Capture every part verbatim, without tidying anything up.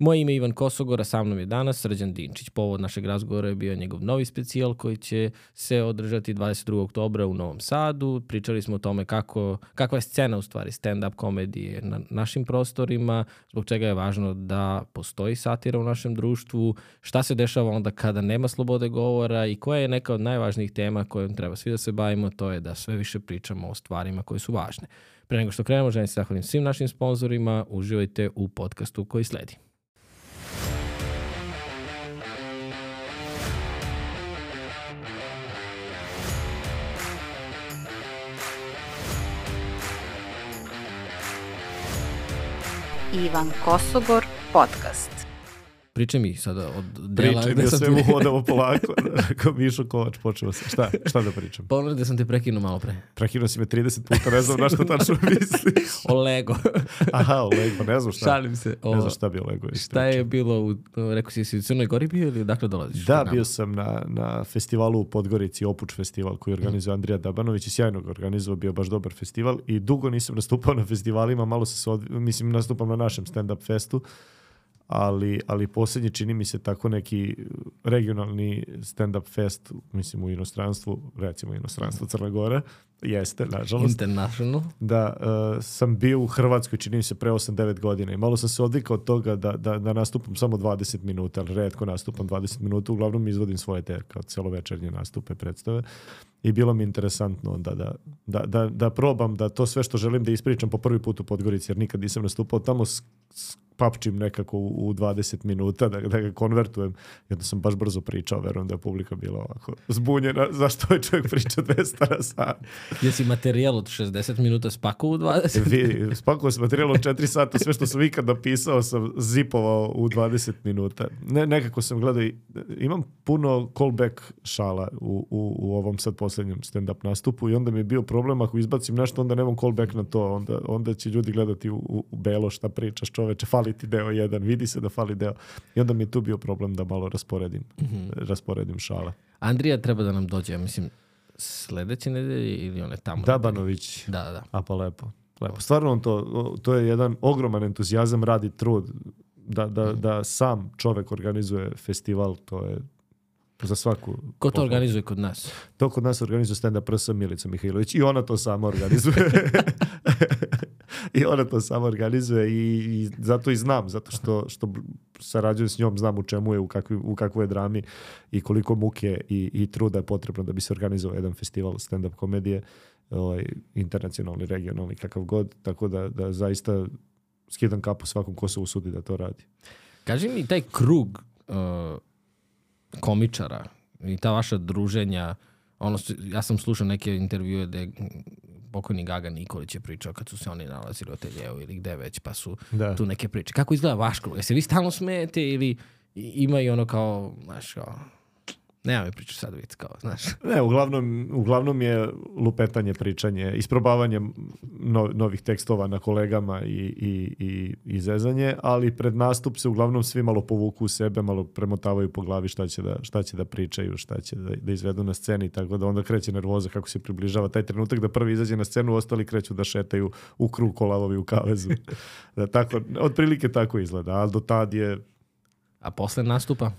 Moje ime je Ivan Kosogor, a sa mnom je danas Srđan Dinčić. Povod našeg razgovora je bio njegov novi specijal koji će se održati dvadeset drugog oktobra u Novom Sadu. Pričali smo o tome kako, kakva je scena u stvari stand-up komedije na našim prostorima, zbog čega je važno da postoji satira u našem društvu, šta se dešava onda kada nema slobode govora i koja je neka od najvažnijih tema kojom treba svi da se bavimo, to je da sve više pričamo o stvarima koje su važne. Pre nego što krenemo, želim se zahvalim svim našim sponzorima. Uživajte u podcastu koji sledi. Ivan Kosogor podcast. Pričaj mi sada od dela... Pričaj mi o svemu hodamo polako. Kao Mišo Kovač počeo se. Šta, šta da pričam? Ponovno da sam te prekinuo malo pre. Prekinuo si me trideset puta, ne znam na što tačno misliš. O Lego. Aha, o Lego, ne znam šta. Šalim se. O, ne znam šta bi o Lego. Šta je bilo, u, rekao si, si u Crnoj Gori bio ili dakle dolaziš? Da, bio sam na, na festivalu u Podgorici, Opuč festival koji organizuje Andrija Dabanović i sjajno ga organizovao, bio baš dobar festival i dugo nisam nastupao na festivalima, malo se se odvi... mislim nastupam na našem stand-up festu. Ali, ali posljednji čini mi se tako neki regionalni stand-up fest, mislim u inostranstvu, recimo inostranstvo Crna Gora, jeste, nažalost. International. Da, uh, sam bio u Hrvatskoj, čini mi se pre osam devet godina i malo sam se odvikao od toga da, da, da nastupam samo dvadeset minuta, ali retko nastupam dvadeset minuta, uglavnom izvodim svoje te kao celovečernje nastupe, predstave. I bilo mi interesantno onda da, da, da, da probam da to sve što želim da ispričam po prvi put u Podgorici, jer nikad nisam nastupao tamo s, s papčim nekako u, u dvadeset minuta, da, da ga konvertujem. I onda sam baš brzo pričao, verujem da je publika bila ovako zbunjena zašto je čovjek priča dvesta na sat. Jesi materijal od šezdeset minuta spakao u dvadeset? Vi, spakao sam materijal od četiri sata, sve što sam ikad napisao sam zipovao u dvadeset minuta. Ne, nekako sam gledao, imam puno callback šala u, u, u ovom sad posljednjem stand-up nastupu i onda mi je bio problem ako izbacim nešto, onda nemam callback na to, onda, onda će ljudi gledati u, u, u belo šta pričaš čoveče, fali ti deo jedan, vidi se da fali deo. I onda mi je tu bio problem da malo rasporedim, mm-hmm. rasporedim šala. Andrija treba da nam dođe, ja mislim, sledeće nedelje ili on je tamo? Dabanović. Da, da. A pa lepo. lepo. Stvarno on to, to je jedan ogroman entuzijazam, radi trud da, da, mm. da sam čovek organizuje festival, to je za svaku... Ko to pohvalu. Organizuje kod nas? To kod nas organizuje stand-up prsa Milica Mihajlović i ona to sama organizuje. I ona to sama organizuje i, i zato i znam, zato što, što sarađujem s njom, znam u čemu je, u, kakvi, u kakvoj je drami i koliko muke i, i truda je potrebno da bi se organizovao jedan festival stand-up komedije, ovaj, internacionalni, regionalni, kakav god, tako da, da zaista skidam kapu svakom ko se usudi da to radi. Kaži mi, taj krug uh, komičara i ta vaša druženja, ono, ja sam slušao neke intervjue da je pokojni Gaga Nikolić je pričao kad su se oni nalazili u ateljeu ili gde već, pa su da. Tu neke priče. Kako izgleda vaš krug? Jeste vi stalno smijete ili ima i ono kao, znaš, kao, nema mi pričaš sad vic, kao, znaš. Ne, uglavnom, uglavnom je lupetanje, pričanje, isprobavanje no, novih tekstova na kolegama i, i, i, i zezanje, ali pred nastup se uglavnom svi malo povuku u sebe, malo premotavaju po glavi šta će da, šta će da pričaju, šta će da, da izvedu na sceni, tako da onda kreće nervoza kako se približava taj trenutak da prvi izađe na scenu, ostali kreću da šetaju u krug ko lavovi u kavezu. Da, tako, otprilike tako izgleda, ali do tad je... A posle nastupa?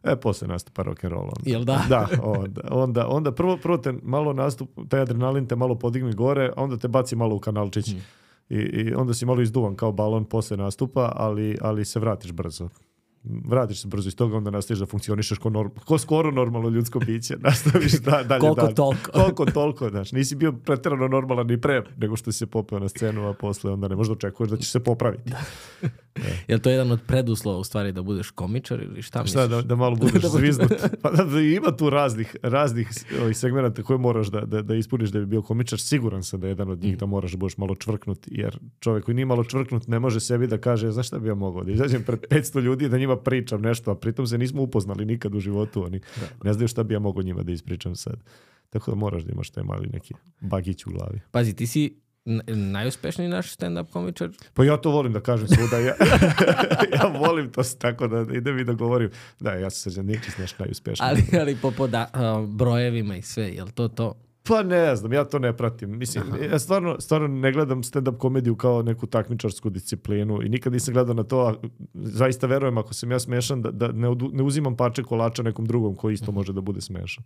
E, posle nastupa rock'n'roll. Jel da? Da, onda, onda, onda prvo, prvo te malo nastup, taj adrenalin te malo podigne gore, onda te baci malo u kanalčić mm. I, i onda si malo izduvan kao balon posle nastupa, ali, ali se vratiš brzo. Vratiš se brzo iz toga, onda nastaviš da funkcionišeš ko, norm, ko skoro normalno ljudsko biće. Nastaviš da, dalje koliko dalje. toliko. Koliko toliko, znaš. Nisi bio pretjerano normalan ni pre nego što si se popeo na scenu, a posle onda ne možda očekuješ da ćeš se popraviti. Je li to jedan od preduslova u stvari da budeš komičar ili šta misliš? Šta, da, da malo budeš zviznut? Pa da, da ima tu raznih, raznih ovih segmenata koje moraš da, da, da ispuniš da bi bio komičar. Siguran sam da je jedan od njih mm. da moraš da budeš malo čvrknut, jer čovjek koji nije malo čvrknut ne može sebi da kaže, znaš šta bi ja mogao? Da izađem pred petsto ljudi da njima pričam nešto, a pritom se nismo upoznali nikad u životu. Oni da, da. Ne znaju šta bi ja mogao njima da ispričam sad. Tako da moraš da imaš taj mali neki bagić u glavi. Pazi, ti si najuspešniji naš stand-up komičar? Pa ja to volim da kažem svuda. Ja, ja volim to tako da idem i da govorim. Da, ja sam Srđan Dinčić, naš najuspešniji. Ali, ali po poda, uh, brojevima i sve, je li to to? Pa ne znam, ja to ne pratim. Mislim, ja stvarno, stvarno ne gledam stand-up komediju kao neku takmičarsku disciplinu i nikad nisam gledao na to, a zaista verujem ako sam ja smešan da, da ne, udu, ne uzimam parče kolača nekom drugom koji isto može da bude smešan.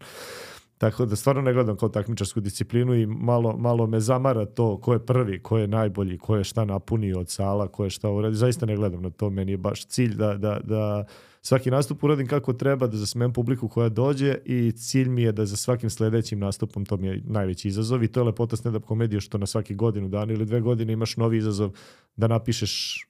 Tako da stvarno ne gledam kao takmičarsku disciplinu i malo, malo me zamara to ko je prvi, ko je najbolji, ko je šta napunio od sala, ko je šta uradi. Zaista ne gledam na to, meni je baš cilj da, da, da svaki nastup uradim kako treba, da zasmem publiku koja dođe i cilj mi je da za svakim sledećim nastupom, to mi je najveći izazov i to je lepota stand-up komedije što na svaki godinu dana ili dve godine imaš novi izazov da napišeš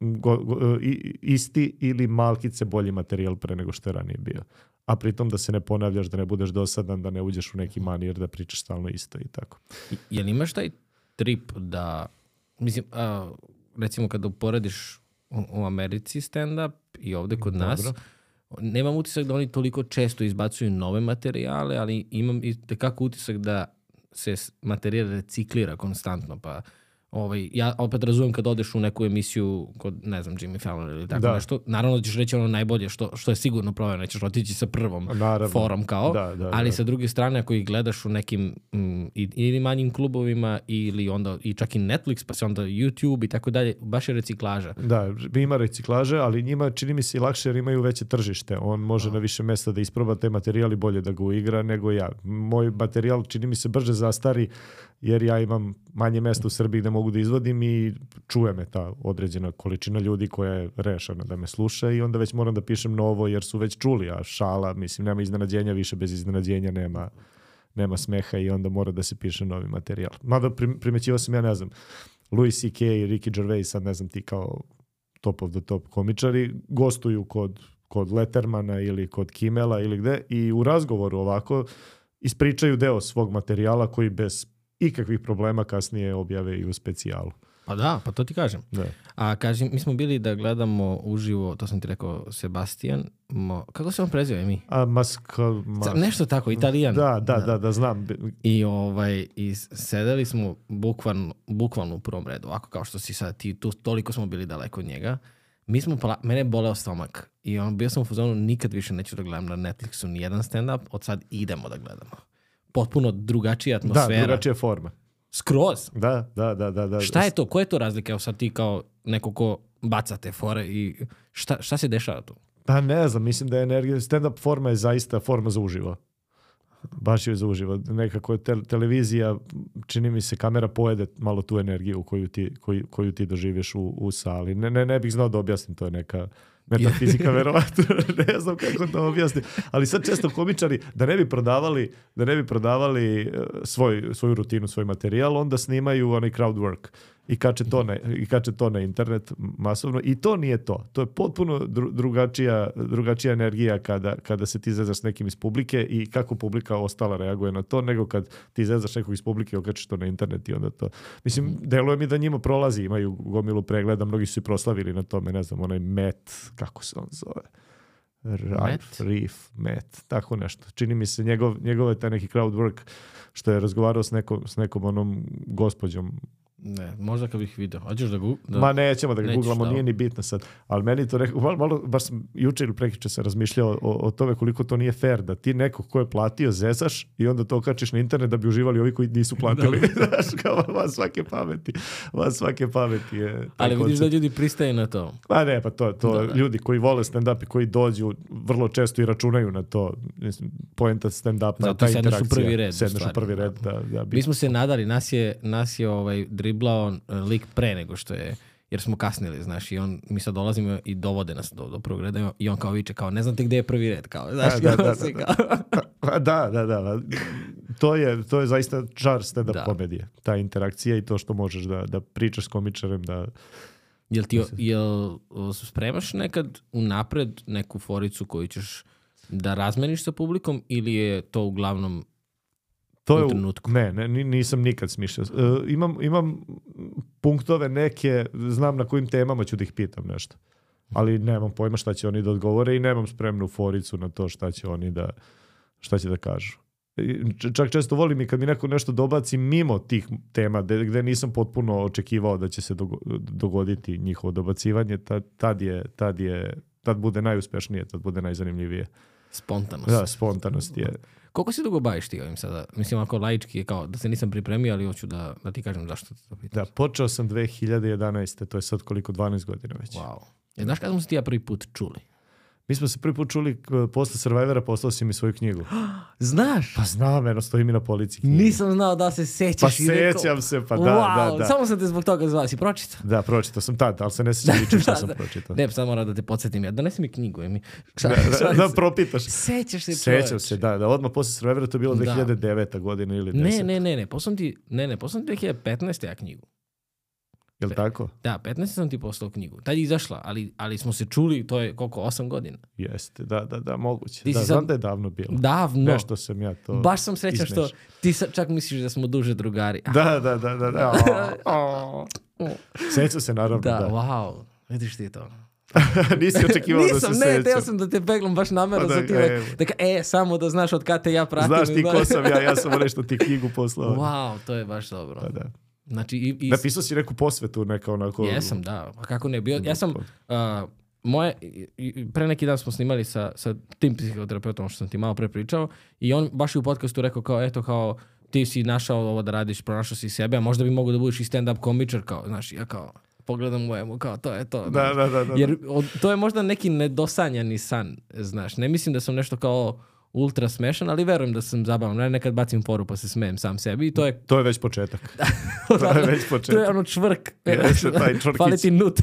go, go, isti ili malkice bolji materijal pre nego što je ranije bio. A pritom da se ne ponavljaš, da ne budeš dosadan, da ne uđeš u neki manir, da pričaš stalno isto i tako. Jel imaš taj trip da, mislim, a, recimo kada uporediš u, u Americi stand-up i ovde kod Dobro. nas, nemam utisak da oni toliko često izbacuju nove materijale, ali imam i tekako utisak da se materijal reciklira konstantno, pa ovaj, ja opet razumem kad odeš u neku emisiju kod, ne znam, Jimmy Fallon ili tako da. nešto, naravno da ćeš reći ono najbolje što, što je sigurno provjereno, nećeš otići sa prvom naravno. forom kao, da, da, ali da. sa druge strane ako ih gledaš u nekim mm, ili manjim klubovima ili onda i čak i Netflix, pa se onda YouTube i tako dalje, baš je reciklaža. Da, ima reciklaže, ali njima čini mi se i lakše jer imaju veće tržište. On može A. na više mesta da isproba te materijali bolje da ga uigra nego ja. Moj materijal čini mi se brže zastari jer ja imam manje mesta u Srbiji gde mogu da izvodim i čuje me ta određena količina ljudi koja je rešena da me sluša i onda već moram da pišem novo jer su već čuli, a šala, mislim, nema iznenađenja, više bez iznenađenja nema, nema smeha i onda mora da se piše novi materijal. Mada primećivao sam, ja ne znam, Louis C K i Ricky Gervais, sad ne znam ti kao top of the top komičari, gostuju kod, kod Lettermana ili kod Kimmela ili gde i u razgovoru ovako ispričaju deo svog materijala koji bez ikakvih problema kasnije objave i u specijalu. Pa da, pa to ti kažem. Da. A kažem, mi smo bili da gledamo uživo, to sam ti rekao, Sebastian, mo, kako se on preziva mi? A, maska, mas... Nešto tako, Italijan. Da, da, da, da, da znam. I, ovaj, i sedeli smo bukvalno, bukvalno u prvom redu, ovako kao što si sad, ti, tu, toliko smo bili daleko od njega. Mi smo, pala, mene je boleo stomak i on, bio sam u fazonu, nikad više neću da gledam na Netflixu ni jedan stand-up, od sad idemo da gledamo. Potpuno drugačija atmosfera. Da, drugačija forma. Skroz. Da, da, da, da, da. Šta je to? Koja je to razlika? Evo sad ti kao neko ko baca te fore i šta, šta se dešava tu? Pa ne znam, mislim da je energija, stand-up forma je zaista forma za uživo. Baš je za uživo. Nekako te, televizija, čini mi se, kamera pojede malo tu energiju koju ti, koju, koju ti doživiš u, u sali. Ne, ne, ne bih znao da objasnim, to je neka metafizika, verovatno, ne znam kako to objasnim, ali sad često komičari da ne bi prodavali, da ne bi prodavali svoj, svoju rutinu, svoj materijal, onda snimaju onaj crowd work i kače to na, i kače to na internet masovno i to nije to. To je potpuno dru, drugačija, drugačija energija kada, kada se ti zezaš s nekim iz publike i kako publika ostala reaguje na to, nego kad ti zezaš nekog iz publike i okačeš to na internet i onda to. Mislim, deluje mi da njima prolazi, imaju gomilu pregleda, mnogi su i proslavili na tome, ne znam, onaj Matt, kako se on zove? Rife, Riff, Matt, tako nešto. Čini mi se njegov, njegov je taj neki crowd work što je razgovarao s nekom, s nekom onom gospođom. Ne, možda kad bih video. Hoćeš da gu... Da... Ma nećemo da ga googlamo, nije ni bitno sad. Ali meni to rekao, malo, malo baš sam juče ili prekjuče se razmišljao o, o tome koliko to nije fair da ti nekog ko je platio zezaš i onda to okačiš na internet da bi uživali ovi koji nisu platili. Znaš, kao van svake pameti. Van svake pameti je... Ali vidiš koncept. Da ljudi pristaju na to. Pa ne, pa to, to da, ljudi koji vole stand-up i koji dođu vrlo često i računaju na to. Poenta stand-upa, ta interakcija. Zato sedneš u prvi red. Sedneš u prvi red, da. da Mi smo se nadali, nas je, nas je ovaj driblao lik pre nego što je, jer smo kasnili, znaš, i on, mi sad dolazimo i dovode nas do, do prvog reda i on kao viče, kao, ne znate gde je prvi red, kao, znaš, da, da, da, da, da, da, da, da, to je, to je zaista čar stand-up da. komedije, ta interakcija i to što možeš da, da pričaš s komičarem, da... Jel ti, jel spremaš nekad unapred neku foricu koju ćeš da razmeniš sa publikom ili je to uglavnom To je, ne, ne, nisam nikad smišljao. Uh, imam, imam punktove neke, znam na kojim temama ću da ih pitam nešto. Ali nemam pojma šta će oni da odgovore i nemam spremnu foricu na to šta će oni da, šta će da kažu. Čak često volim i kad mi neko nešto dobaci mimo tih tema gde, gde nisam potpuno očekivao da će se dogoditi njihovo dobacivanje, tad, tad, je, tad, je, tad bude najuspešnije, tad bude najzanimljivije. Spontanost. Da, spontanost je. Koliko se dugo baviš ti ovim sada? Mislim, ako laički je kao da se nisam pripremio, ali hoću da, da ti kažem zašto te to pitaš. Da, počeo sam dve hiljade jedanaeste. To je sad koliko, dvanaest godina već. Wow. E, znaš kada smo se ti ja prvi put čuli? Mi smo se prvi put čuli k- posle Survivora, poslao si mi svoju knjigu. Znaš? Pa znam, eno, stoji mi na polici knjiga. Nisam znao da se sećaš. Pa i rekao, sećam se, pa da, wow, da, da. Samo sam te zbog toga zvao. Si pročitao? Da, pročitao sam tad, ali se ne sjećam ničeg što Da, sam da. pročitao. Ne, sad moram da te podsjetim. Ja, donesi mi knjigu. Mi... Da, da, da, propitaš. Sećaš se, čovječ. Sećam se, da, da, odmah posle Survivora, to je bilo Da. dve hiljade deveta godina ili Ne, deset. ne, ne, ne. Poslom ti, ne, ne, poslom ti dve hiljade petnaeste ja knjigu. Jel tako? Da, petnaeste sam ti poslao knjigu. Tad je izašla, ali, ali smo se čuli, to je koliko, osam godina. Jeste, da, da, da, moguće. Ti Da, si znam sad- da je davno bilo. Davno. Nešto sam ja to... Baš sam srećan što izmešao. ti sad čak misliš da smo duže drugari. Ah, Da, da, da, da. da. O, o. Sećam se, naravno, da, da. wow. Vidiš ti to. Nisi očekivao da se Nisam, sećam. ne, teo sam da te peglom baš namjerno Pa da, za ti. e, Da, ka- e, samo da znaš od kada te ja pratim. Znaš ti da- ko sam ja, ja sam nešto ti knjigu poslao. Wow, to je baš dobro. Pa da. Znači, i, i, Napisao si neku posvetu, neka onako... jesam, da. Pa kako ne, bio, ja sam, uh, moje, i- i- pre neki dan smo snimali sa, sa tim psihoterapeutom što sam ti malo pre pričao i on baš i u podcastu rekao kao, eto kao, ti si našao ovo da radiš, pronašao si sebe, a možda bi mogao da budeš i stand-up komičar, kao, znaš, ja kao, pogledam mojemu, kao, to je to. Da, znaš. da, da, da. Jer od- to je možda neki nedosanjani san, znaš. Ne mislim da sam nešto kao ultra smešan, ali verujem da sam zabavan. Ne, nekad bacim foru pa se smejem sam sebi i to je... To je već početak. To je već To je početak. ono čvrk. Jeste, taj čvrkić. Fali ti nut.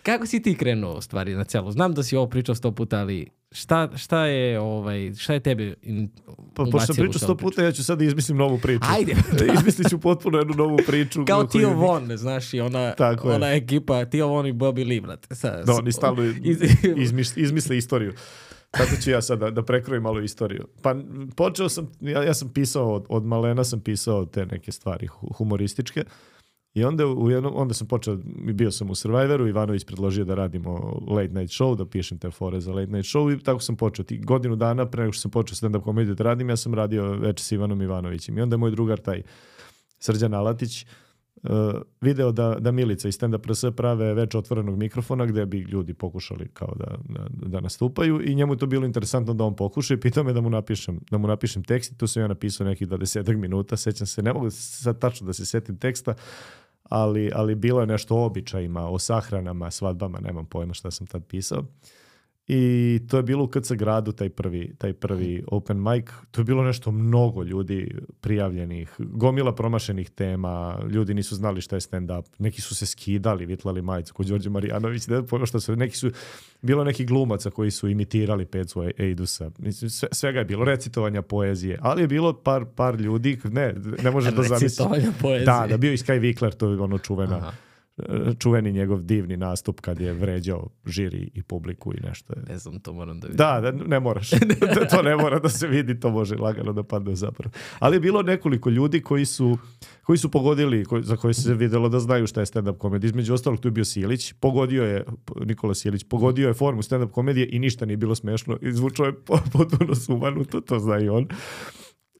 Kako si ti krenuo u stvari na celo? Znam da si ovo pričao sto puta, ali šta, šta je ovaj, šta je tebe in, Pa, pošto ubacilo sam u pričao celu sto priču? puta, ja ću sad da izmislim novu priču. Ajde. Izmislit ću potpuno jednu novu priču. Kao koju- Tio Von, znaš, i ona, Tako je. ona ekipa, Tio Von i Bobby Lee, brate. Sa, Da, oni stalno iz- izmiš- izmisle istoriju. Tako ću ja sad da, da prekrojim malo istoriju. Pa počeo sam, ja, ja sam pisao, od, od malena sam pisao te neke stvari hu- humorističke. I onda, u jednom, onda sam počeo, bio sam u Survivoru, Ivanović predložio da radimo late night show, da pišem te fore za late night show i tako sam počeo. Ti godinu dana pre nego što sam počeo stand-up komediju da radim, ja sam radio večer s Ivanom Ivanovićem. I onda je moj drugar, taj Srđan Alatić, uh, video da, da Milica i Stand Up R S prave veče otvorenog mikrofona gde bi ljudi pokušali kao da, da, da nastupaju i njemu je to bilo interesantno da on pokuša i pitao me da mu napišem, da mu napišem tekst i tu sam ja napisao nekih dvadesetak minuta, sećam se, ne mogu sad tačno da se setim teksta, ali, ali bilo je nešto o običajima, o sahranama, svadbama, nemam pojma šta sam tad pisao. I to je bilo u K C gradu, taj prvi, taj prvi open mic. To je bilo nešto mnogo ljudi prijavljenih, gomila promašenih tema, ljudi nisu znali šta je stand-up, neki su se skidali, vitlali majicu, ko Đorđe Marijanović, ne znam pojma šta su, neki su, bilo nekih glumaca koji su imitirali Pecu Ejdusa, mislim, sve, svega je bilo, recitovanja poezije, ali je bilo par, par ljudi, ne, ne možeš da zamisliš. Recitovanja poezije. Da, da, bio i Sky Vikler, to je ono čuvena, Aha. čuveni njegov divni nastup kad je vređao žiri i publiku i nešto. Ne znam, to moram da vidim. Da, da, ne moraš. To ne mora da se vidi, to može lagano da padne zapravo. Ali je bilo nekoliko ljudi koji su, koji su pogodili, koji, za koje se vidjelo da znaju šta je stand-up komedija. Između ostalog tu je bio Silić, pogodio je, Nikola Silić, pogodio je formu stand-up komedije i ništa nije bilo smešno. Izvučao je potpuno sumanuto, to zna i on.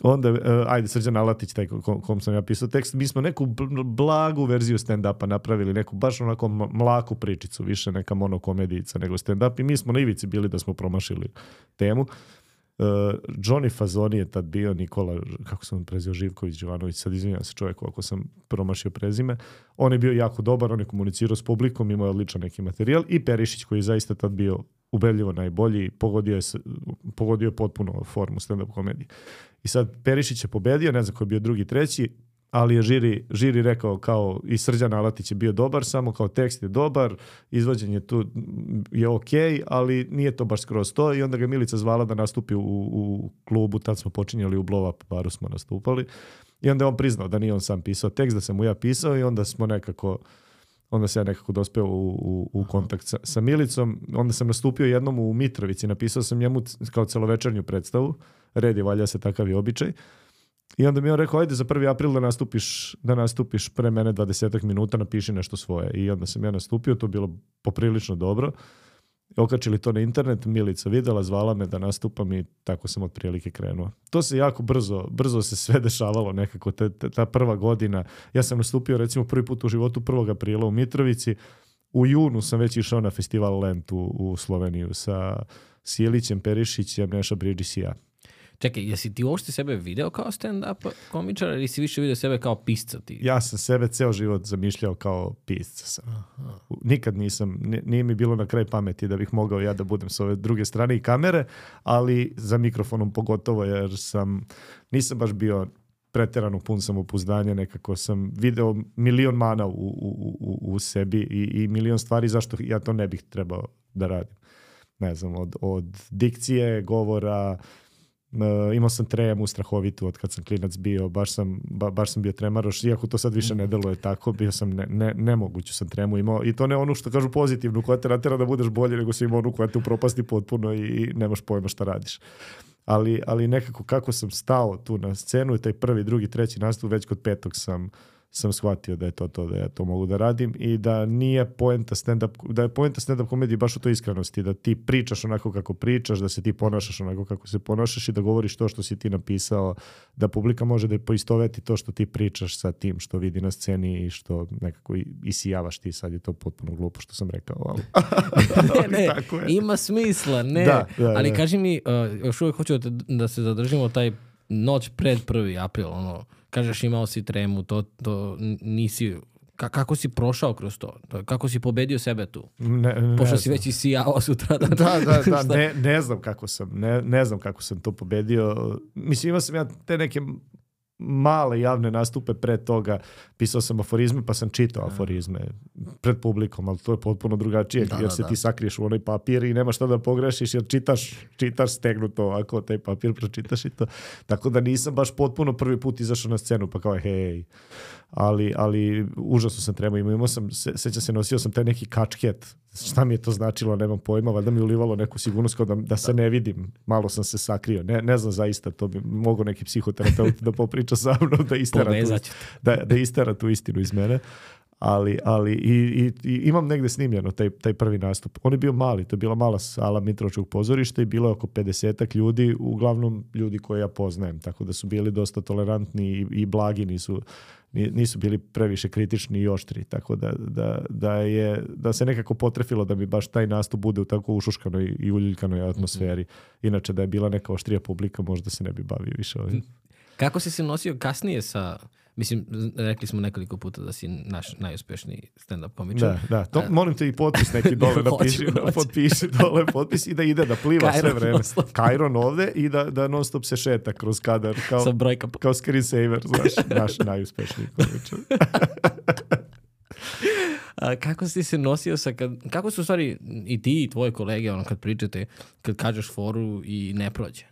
Onda, uh, ajde, Srđan Alatić, taj kom, kom sam ja pisao tekst, mi smo neku bl- blagu verziju stand-upa napravili, neku baš onako m- mlaku pričicu, više neka monokomedijica nego stand-up i mi smo na ivici bili da smo promašili temu. Uh, Johnny Fazoni je tad bio, Nikola, kako sam prezio, Živković, Jovanović, sad izvinjam se čovjeku ako sam promašio prezime. On je bio jako dobar, on je komunicirao s publikom, imao je odličan neki materijal i Perišić koji je zaista tad bio ubedljivo najbolji, pogodio je, s- pogodio je potpuno formu stand-up komedije. I sad Perišić je pobedio, ne znam ko je bio drugi, treći, ali je žiri, žiri rekao kao i Srđan Alatić je bio dobar, samo kao tekst je dobar, izvođenje tu je okej, ali nije to baš skroz to i onda ga je Milica zvala da nastupi u, u klubu, tad smo počinjali u Blow Up baru smo nastupali i onda je on priznao da nije on sam pisao tekst, da sam mu ja pisao i onda smo nekako onda se ja nekako dospeo u, u, u kontakt sa, sa Milicom. Onda sam nastupio jednom u Mitrovici, napisao sam njemu c- kao celovečernju predstavu, red je, valja se, takav je običaj. I onda mi je on rekao, ajde za prvi april da nastupiš, da nastupiš pre mene dvadesetak minuta, napiši nešto svoje. I onda sam ja nastupio, to je bilo poprilično dobro. Okačili to na internet, Milica videla, zvala me da nastupam i tako sam otprilike krenuo. To se jako brzo, brzo se sve dešavalo nekako, te, te, ta prva godina. Ja sam nastupio recimo prvi put u životu prvog aprila u Mitrovici, u junu sam već išao na festival Lent u, u Sloveniju sa Sjelićem, Perišićem, Neša Bridges i ja. Čekaj, jesi ti uopšte sebe video kao stand-up komičar ili si više video sebe kao pisca ti? Ja sam sebe ceo život zamišljao kao pisca sam. Aha. Nikad nisam, nije mi bilo na kraj pameti da bih mogao ja da budem s ove druge strane i kamere, ali za mikrofonom pogotovo jer sam, nisam baš bio preterano pun samopouzdanja, nekako sam video milion mana u, u, u, u sebi i, i milion stvari zašto ja to ne bih trebao da radim. Ne znam, od, od dikcije, govora, Uh, imao sam tremu strahovitu od kad sam klinac bio, baš sam, ba, baš sam bio tremaroš, iako to sad više ne deluje tako, bio sam ne, ne, nemoguću sam tremu imao i to ne onu što kažu pozitivnu, koja te natera da budeš bolji, nego sam imao onu koja te upropasti potpuno i, i nemaš pojma šta radiš. Ali, ali nekako kako sam stao tu na scenu i taj prvi, drugi, treći nastup, već kod petog sam sam shvatio da je to to, da ja to mogu da radim i da nije poenta stand-up, da je poenta stand-up komedije baš u toj iskrenosti, da ti pričaš onako kako pričaš, da se ti ponašaš onako kako se ponašaš i da govoriš to što si ti napisao, da publika može da poistoveti to što ti pričaš sa tim što vidi na sceni i što nekako isijavaš ti. Sad je to potpuno glupo što sam rekao, ali, ne, ne, tako je. Ima smisla, ne, da, da, ali da. Kaži mi, uh, još uvijek hoću da, da se zadržimo taj noć pred prvi april, ono, kažeš imao si tremu, to, to nisi, ka, kako si prošao kroz to? Kako si pobedio sebe tu? Ne, ne Pošto znam. si već isijavao sutra. Da, da, da, ne, ne znam kako sam, ne, ne znam kako sam to pobedio. Mislim, imao sam ja te neke male javne nastupe pre toga, pisao sam aforizme pa sam čitao aforizme pred publikom, ali to je potpuno drugačije da, jer da, se da. ti sakriješ u onaj papir i nema šta da pogrešiš jer čitaš, čitaš stegnuto ovako taj papir, pročitaš i to. Tako da nisam baš potpuno prvi put izašao na scenu pa kao hej, ali, ali užasno sam tremao, imao sam, se, sećam se, nosio sam taj neki kačket, šta mi je to značilo, nemam pojma, valjda mi ulivalo neku sigurnost kao da, da se ne vidim, malo sam se sakrio, ne, ne znam zaista, to bi mogao neki psihoterapeut da popriča sa mnom, da istera, tu, da, da istera tu istinu iz mene, ali, ali i, i, i imam negde snimljeno taj, taj prvi nastup. On je bio mali, to je bila mala sala Mitrovićkog pozorišta i bilo je oko pedesetak ljudi, uglavnom ljudi koje ja poznajem, tako da su bili dosta tolerantni i, i blagi, nisu nisu bili previše kritični i oštri, tako da, da, da, je, da se nekako potrefilo da mi baš taj nastup bude u tako ušuškanoj i uljuljkanoj atmosferi. Inače da je bila neka oštrija publika, možda se ne bi bavio više ovim. Kako si se nosio kasnije sa, mislim, rekli smo nekoliko puta da si naš najuspešniji stand-up komičar. Da, da. To, molim te i potpis neki dole napiši, potpiši dole potpis i da ide da pliva sve vreme. Kajron ovde i da, da non stop se šeta kroz kadar kao, sa brojkama. Kao screensaver, znaš, naš najuspešniji komičar. A kako si se nosio sa, kad, kako su u stvari i ti i tvoje kolege, ono kad pričate, kad kažeš foru i ne prođe?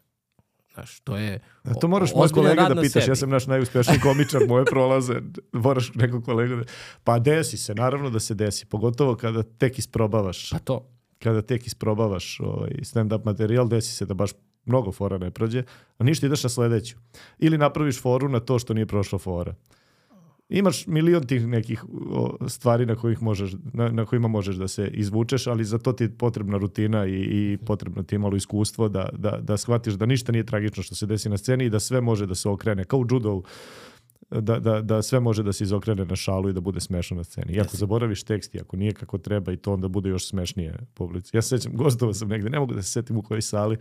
Znaš, to je A to moraš moj kolega da pitaš, sebi. Ja sam naš najuspešniji komičar, moje prolaze, moraš nekog kolegu da... Pa desi se, naravno da se desi, pogotovo kada tek isprobavaš. Pa to. Kada tek isprobavaš ovaj, stand-up materijal, desi se da baš mnogo fora ne prođe, a ništa ideš na sledeću. Ili napraviš foru na to što nije prošla fora. Imaš milion tih nekih o, stvari na kojih možeš, na, na kojima možeš da se izvučeš, ali za to ti je potrebna rutina i, i potrebno ti je malo iskustvo da, da, da shvatiš da ništa nije tragično što se desi na sceni i da sve može da se okrene, kao u judovu, da, da, da sve može da se izokrene na šalu i da bude smešno na sceni. I ako zaboraviš tekst i ako nije kako treba i to onda bude još smešnije publici. Ja se sećam, gostovao sam negde, ne mogu da se setim u kojoj sali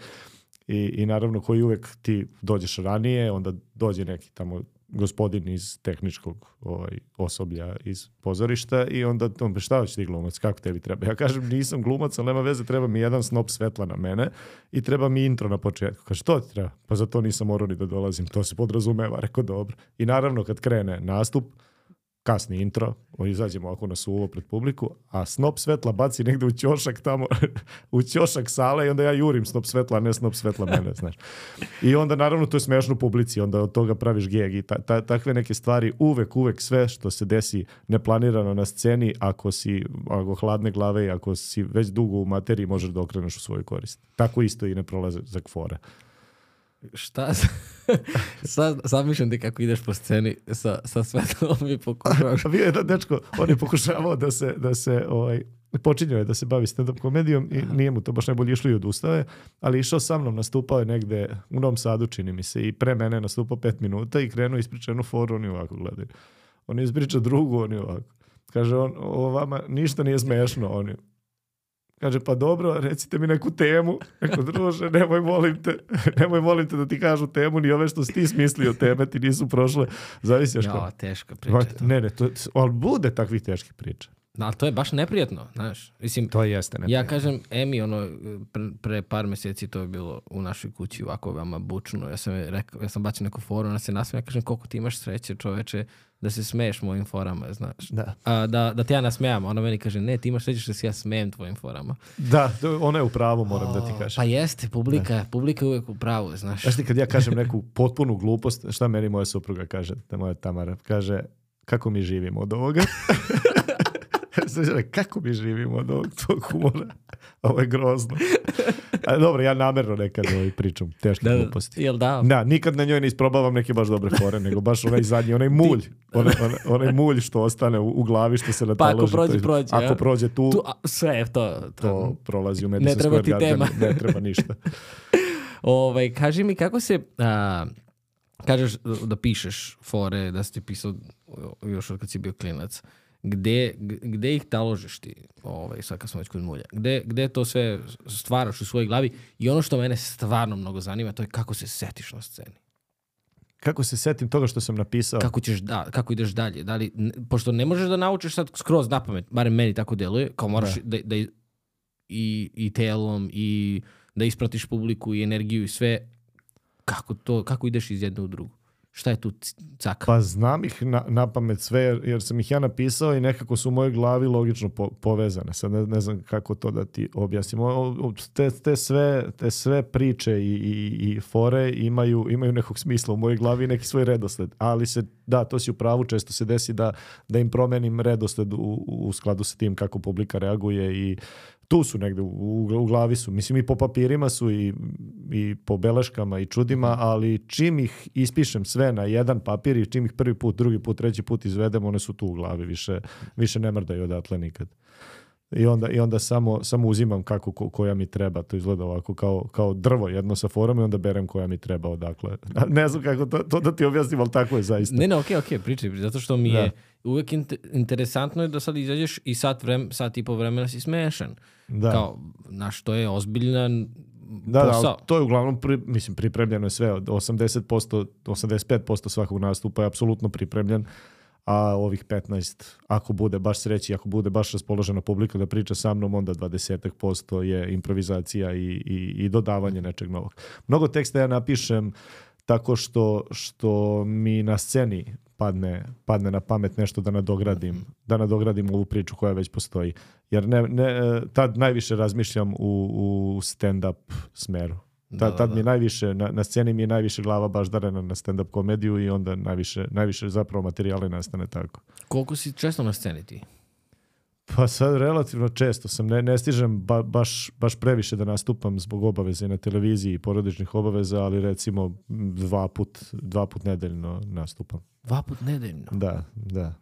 i, i naravno koji uvek ti dođeš ranije, onda dođe neki tamo gospodin iz tehničkog ovaj, osoblja iz pozorišta i onda on be šta hoće ti glumac, kako tebi treba? Ja kažem nisam glumac, ali nema veze, treba mi jedan snop svetla na mene i treba mi intro na početku. Kaže, što ti treba? Pa za to nisam morao ni da dolazim, to se podrazumeva, rekao dobro. I naravno kad krene nastup, kasni intro, izađemo ovako na suvo pred publiku, a snop svetla baci negde u ćošak tamo, u ćošak sale i onda ja jurim snop svetla, a ne snop svetla mene, znaš. I onda naravno to je smešno publici, onda od toga praviš geg i ta, ta, takve neke stvari, uvek, uvek sve što se desi neplanirano na sceni, ako si ako hladne glave i ako si već dugo u materiji, možeš da okreneš u svoju korist. Tako isto i ne prolaze za kvore. Šta? Sad zamišljam ti kako ideš po sceni sa, sa svetlom i pokušavaš. Bio je jedan dečko, on je pokušavao da se, da se ovaj, počinjao je da se bavi stand-up komedijom i nije mu to baš najbolje išlo i odustao je, ali išao sa mnom, nastupao je negde u Novom Sadu, čini mi se, i pre mene je nastupao pet minuta i krenuo ispričanu foru, oni ovako gledaju. On je ispričao drugu, oni ovako. Kaže, on, ovo vama ništa nije smešno. On je, kaže, pa dobro, recite mi neku temu. Neko, druže, nemoj molim te, nemoj molim te da ti kažu temu, ni ove što si ti smislio teme ti nisu prošle. Zavisi još Ja, teška priča. To. Ne, ne, to, ali bude takvih teških priča. Ali to je baš neprijatno, znaš. Mislim, to jeste neprijatno. Ja kažem, Emi, ono, pre, pre par mjeseci to je bilo u našoj kući ovako veoma bučno. Ja sam, rekao, ja sam bacio neku foru, ona se nasmijem, ja kažem, koliko ti imaš sreće, čoveče, da se smeješ mojim forama, znaš. Da. A, da, da te ja nasmejam. Ona meni kaže, ne, ti imaš sreće što se ja smijem tvojim forama. Da, ona je u pravu, moram o, da ti kažem. Pa jeste, publika, da. publika je uvijek u pravu, znaš. Znaš ti, kad ja kažem neku potpunu glupost, šta meni moja supruga kaže, da moja Tamara, kaže, kako mi živimo od ovoga? Kako mi živimo od ovog tvog humora? Ovo je grozno. Ali dobro, ja namjerno nekad ovaj pričam teške da, gluposti. Jel da? Da, nikad na njoj ne isprobavam neke baš dobre fore, nego baš onaj zadnji, onaj mulj. Onaj, onaj, onaj mulj što ostane u, u glavi, što se nataloži. Pa ako prođe, to, prođe. Ako ja? prođe tu, tu a, sve je to. To prolazi u Madison ne treba ti tema. Ne treba ništa. Ovaj, kaži mi kako se... A, kažeš da pišeš fore, da si ti pisao još od kad si bio klinac. Gde, gde ih taložiš ti, ovaj, sad kad smo već kod mulja, gde, gde to sve stvaraš u svojoj glavi i ono što mene stvarno mnogo zanima, to je kako se setiš na sceni. Kako se setim toga što sam napisao? Kako, ćeš da, kako ideš dalje? Da li, pošto ne možeš da naučiš sad skroz napamet, barem meni tako deluje, kao moraš da, da, da i, i telom i da ispratiš publiku i energiju i sve, kako, to, kako ideš iz jedne u drugu? Šta je tu caka? Pa znam ih na, na pamet sve, jer, jer sam ih ja napisao i nekako su u mojoj glavi logično po, povezane. Sad ne, ne znam kako to da ti objasnim. O, te, te, sve, te sve priče i, i, i fore imaju, imaju nekog smisla u mojoj glavi i neki svoj redosled. Ali se, da, to si u pravu, često se desi da, da im promenim redosled u, u skladu sa tim kako publika reaguje i tu su negde, u, u glavi su. Mislim i po papirima su i, i po beleškama i čudima, ali čim ih ispišem sve na jedan papir i čim ih prvi put, drugi put, treći put izvedem, one su tu u glavi, više, više ne mrdaju odatle nikad. I onda, i onda samo, samo uzimam kako ko, koja mi treba. To izgleda ovako kao, kao drvo jedno sa forom i onda berem koja mi treba odakle. Ne znam kako to, to da ti objasnim, ali tako je zaista. Ne, ne, okej, okay, okej, okay, pričaj, zato što mi da. je uvijek interesantno je da sad izađeš i sat, vrem, sat i po vremena si smešan. Da. Kao, znaš, to je ozbiljan da, posao. Da, to je uglavnom, pri, mislim, pripremljeno je sve. osamdeset posto, osamdeset pet posto svakog nastupa je apsolutno pripremljen. A ovih petnaest, ako bude baš sreći, ako bude baš raspoložena publika da priča sa mnom, onda dvadeset posto je improvizacija i, i, i dodavanje nečeg novog. Mnogo teksta ja napišem tako što, što mi na sceni padne, padne na pamet nešto da nadogradim, da nadogradim ovu priču koja već postoji. Jer ne, ne, tad najviše razmišljam u, u stand-up smeru. Tad, tad mi je najviše, na, na sceni mi je najviše glava baš darena na stand-up komediju i onda najviše, najviše zapravo materijale nastane tako. Koliko si često na sceni ti? Pa sad relativno često sam, ne, ne stižem ba, baš, baš previše da nastupam zbog obaveze na televiziji i porodičnih obaveza, ali recimo dva put, dva put nedeljno nastupam. Dva put nedeljno? Da, da.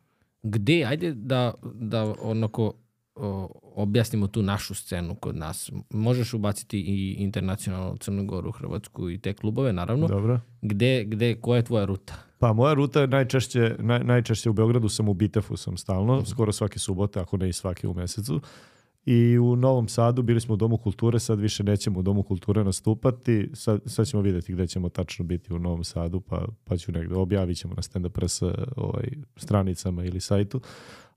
Gde? Ajde da, da onako o, objasnimo tu našu scenu kod nas. Možeš ubaciti i internacionalnu Crnu Goru, Hrvatsku i te klubove, naravno. Dobro. Gde, gde, koja je tvoja ruta? Pa moja ruta je najčešće, naj, najčešće u Beogradu sam u Bitefu sam stalno, mm-hmm. skoro svake subote, ako ne i svake u mesecu. I u Novom Sadu bili smo u Domu kulture, sad više nećemo u Domu kulture nastupati. Sad, sad ćemo vidjeti gde ćemo tačno biti u Novom Sadu, pa, pa ću negde, objavit ćemo na Stand Up Press ovaj, stranicama ili sajtu.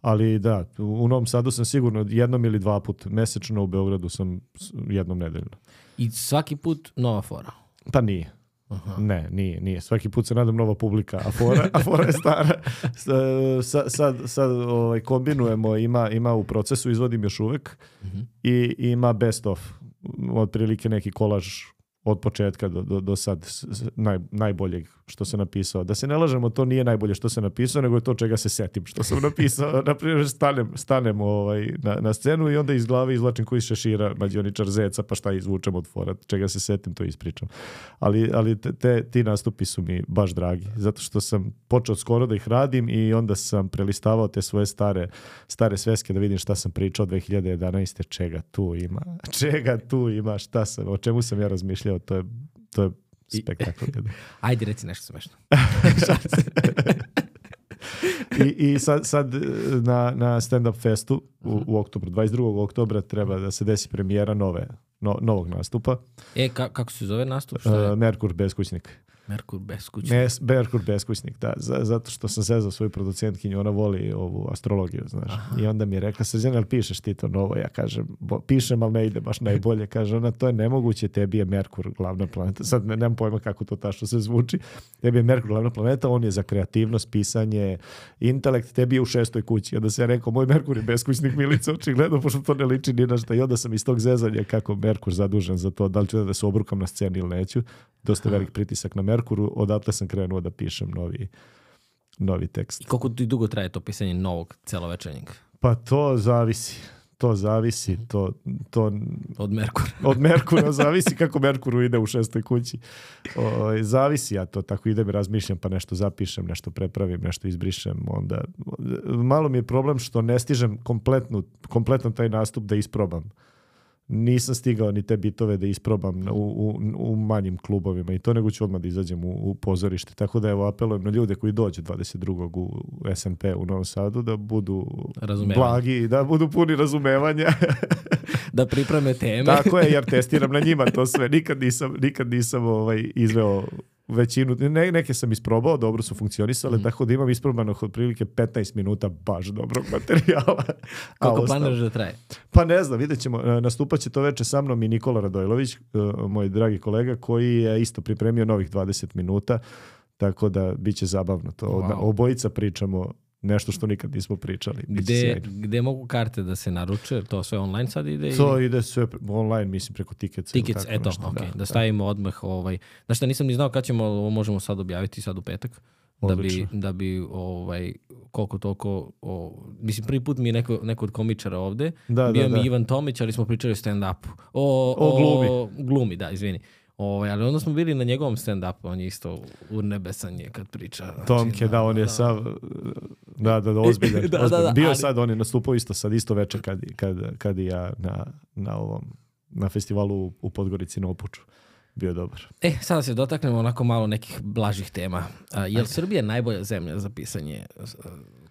Ali da, u Novom Sadu sam sigurno jednom ili dva put mesečno, u Beogradu sam jednom nedeljno. I svaki put nova fora? Pa nije. Aha. Ne, nije, nije. Svaki put se nadam nova publika, a fora, a fora je stara. Sad, sad, sad ovaj, kombinujemo, ima, ima u procesu, izvodim još uvek, uh-huh. i ima best of, otprilike neki kolaž od početka do, do, do sad naj, najboljeg što se napisao. Da se ne lažemo, to nije najbolje što se napisao, nego je to čega se setim što sam napisao. Naprimjer, stanem, stanem ovaj, na, na scenu i onda iz glave izvlačim koji šešira mađioničar zeca, pa šta izvučem od fora. Čega se setim, to ispričam. Ali, ali te, te, ti nastupi su mi baš dragi, zato što sam počeo skoro da ih radim i onda sam prelistavao te svoje stare, stare sveske da vidim šta sam pričao dve hiljade jedanaeste. Čega tu ima? Čega tu ima? Šta sam? O čemu sam ja razmišljao? To je, to je spektakl. Ajde, reci nešto smešno. I, i sad, sad na, na stand-up festu u, u oktobru, dvadeset drugog oktobra treba da se desi premijera nove, no, novog nastupa. E, ka, kako se zove nastup? Šta je? Uh, Merkur Beskućnik. Merkur Beskućnik. Ne, Merkur Beskućnik, da. Z, zato što sam sezao svoju producentkinju, ona voli ovu astrologiju, znaš. Aha. I onda mi je rekla, Srđan, ali pišeš ti to novo? Ja kažem, bo, pišem, ali ne ide baš najbolje. Kaže ona, to je nemoguće, tebi je Merkur glavna planeta. Sad ne, nemam pojma kako to tačno se zvuči. Tebi je Merkur glavna planeta, on je za kreativnost, pisanje, intelekt, tebi je u šestoj kući. Onda se ja rekao, moj Merkur je beskućnik, Milica, očigledno, pošto to ne liči ni na šta. I onda sam iz tog zezanja kako Merkur zadužen za to, da li ću da se obrukam na sceni ili neću. Dosta velik pritisak na Merkuru, odatle sam krenuo da pišem novi, novi tekst. I koliko ti dugo traje to pisanje novog celovečernjeg? Pa to zavisi. To zavisi. To, to, od Merkura. Od Merkura zavisi kako Merkuru ide u šestoj kući. O, zavisi, ja to tako idem i razmišljam, pa nešto zapišem, nešto prepravim, nešto izbrišem. Onda, malo mi je problem što ne stižem kompletnu, kompletno taj nastup da isprobam. Nisam stigao ni te bitove da isprobam u, u, u manjim klubovima i to, nego ću odmah da izađem u, u pozorište. Tako da evo apelujem na ljude koji dođu dvadeset drugog u S N P u Novom Sadu da budu blagi i da budu puni razumevanja. Da pripreme teme. Tako je, jer testiram na njima to sve. Nikad nisam, nikad nisam ovaj, izveo većinu, ne, neke sam isprobao, dobro su funkcionisale, mm. tako da imam isprobano otprilike petnaest minuta baš dobrog materijala. Koliko planiraš da traje? Pa ne znam, vidjet ćemo. Nastupat će to veče sa mnom i Nikola Radojlović, moj dragi kolega, koji je isto pripremio novih dvadeset minuta, tako da bit će zabavno to. Wow. Obojica pričamo nešto što nikad nismo pričali. Gde, gde mogu karte da se naruče? To sve online sad ide? To ili? Ide sve online, mislim, preko Tickets. Tickets, eto, nešto, okay. da, da stavimo da. odmah. Ovaj. Znaš šta, nisam ni znao kad ćemo, ovo možemo sad objaviti, sad u petak. Da bi, da bi ovaj, koliko toliko, o, mislim, prvi put mi je neko, neko od komičara ovde, da, bio da, mi da. Ivan Tomić, ali smo pričali o stand-upu. O, o, o glumi. O glumi, da, izvini. Ovaj, ali onda smo bili na njegovom stand-upu, on je isto urnebesan je kad priča. Znači, Tomke, da, on je da, sav, da, da, da, ozbiljan. da, ozbiljan. da, da, Bio ali... sad, on je nastupao isto sad, isto večer kad, kad, kad i ja na, na ovom, na festivalu u, u Podgorici na Opuču. Bio dobar. E, sada se dotaknemo onako malo nekih blažih tema. A, je li Srbija najbolja zemlja za pisanje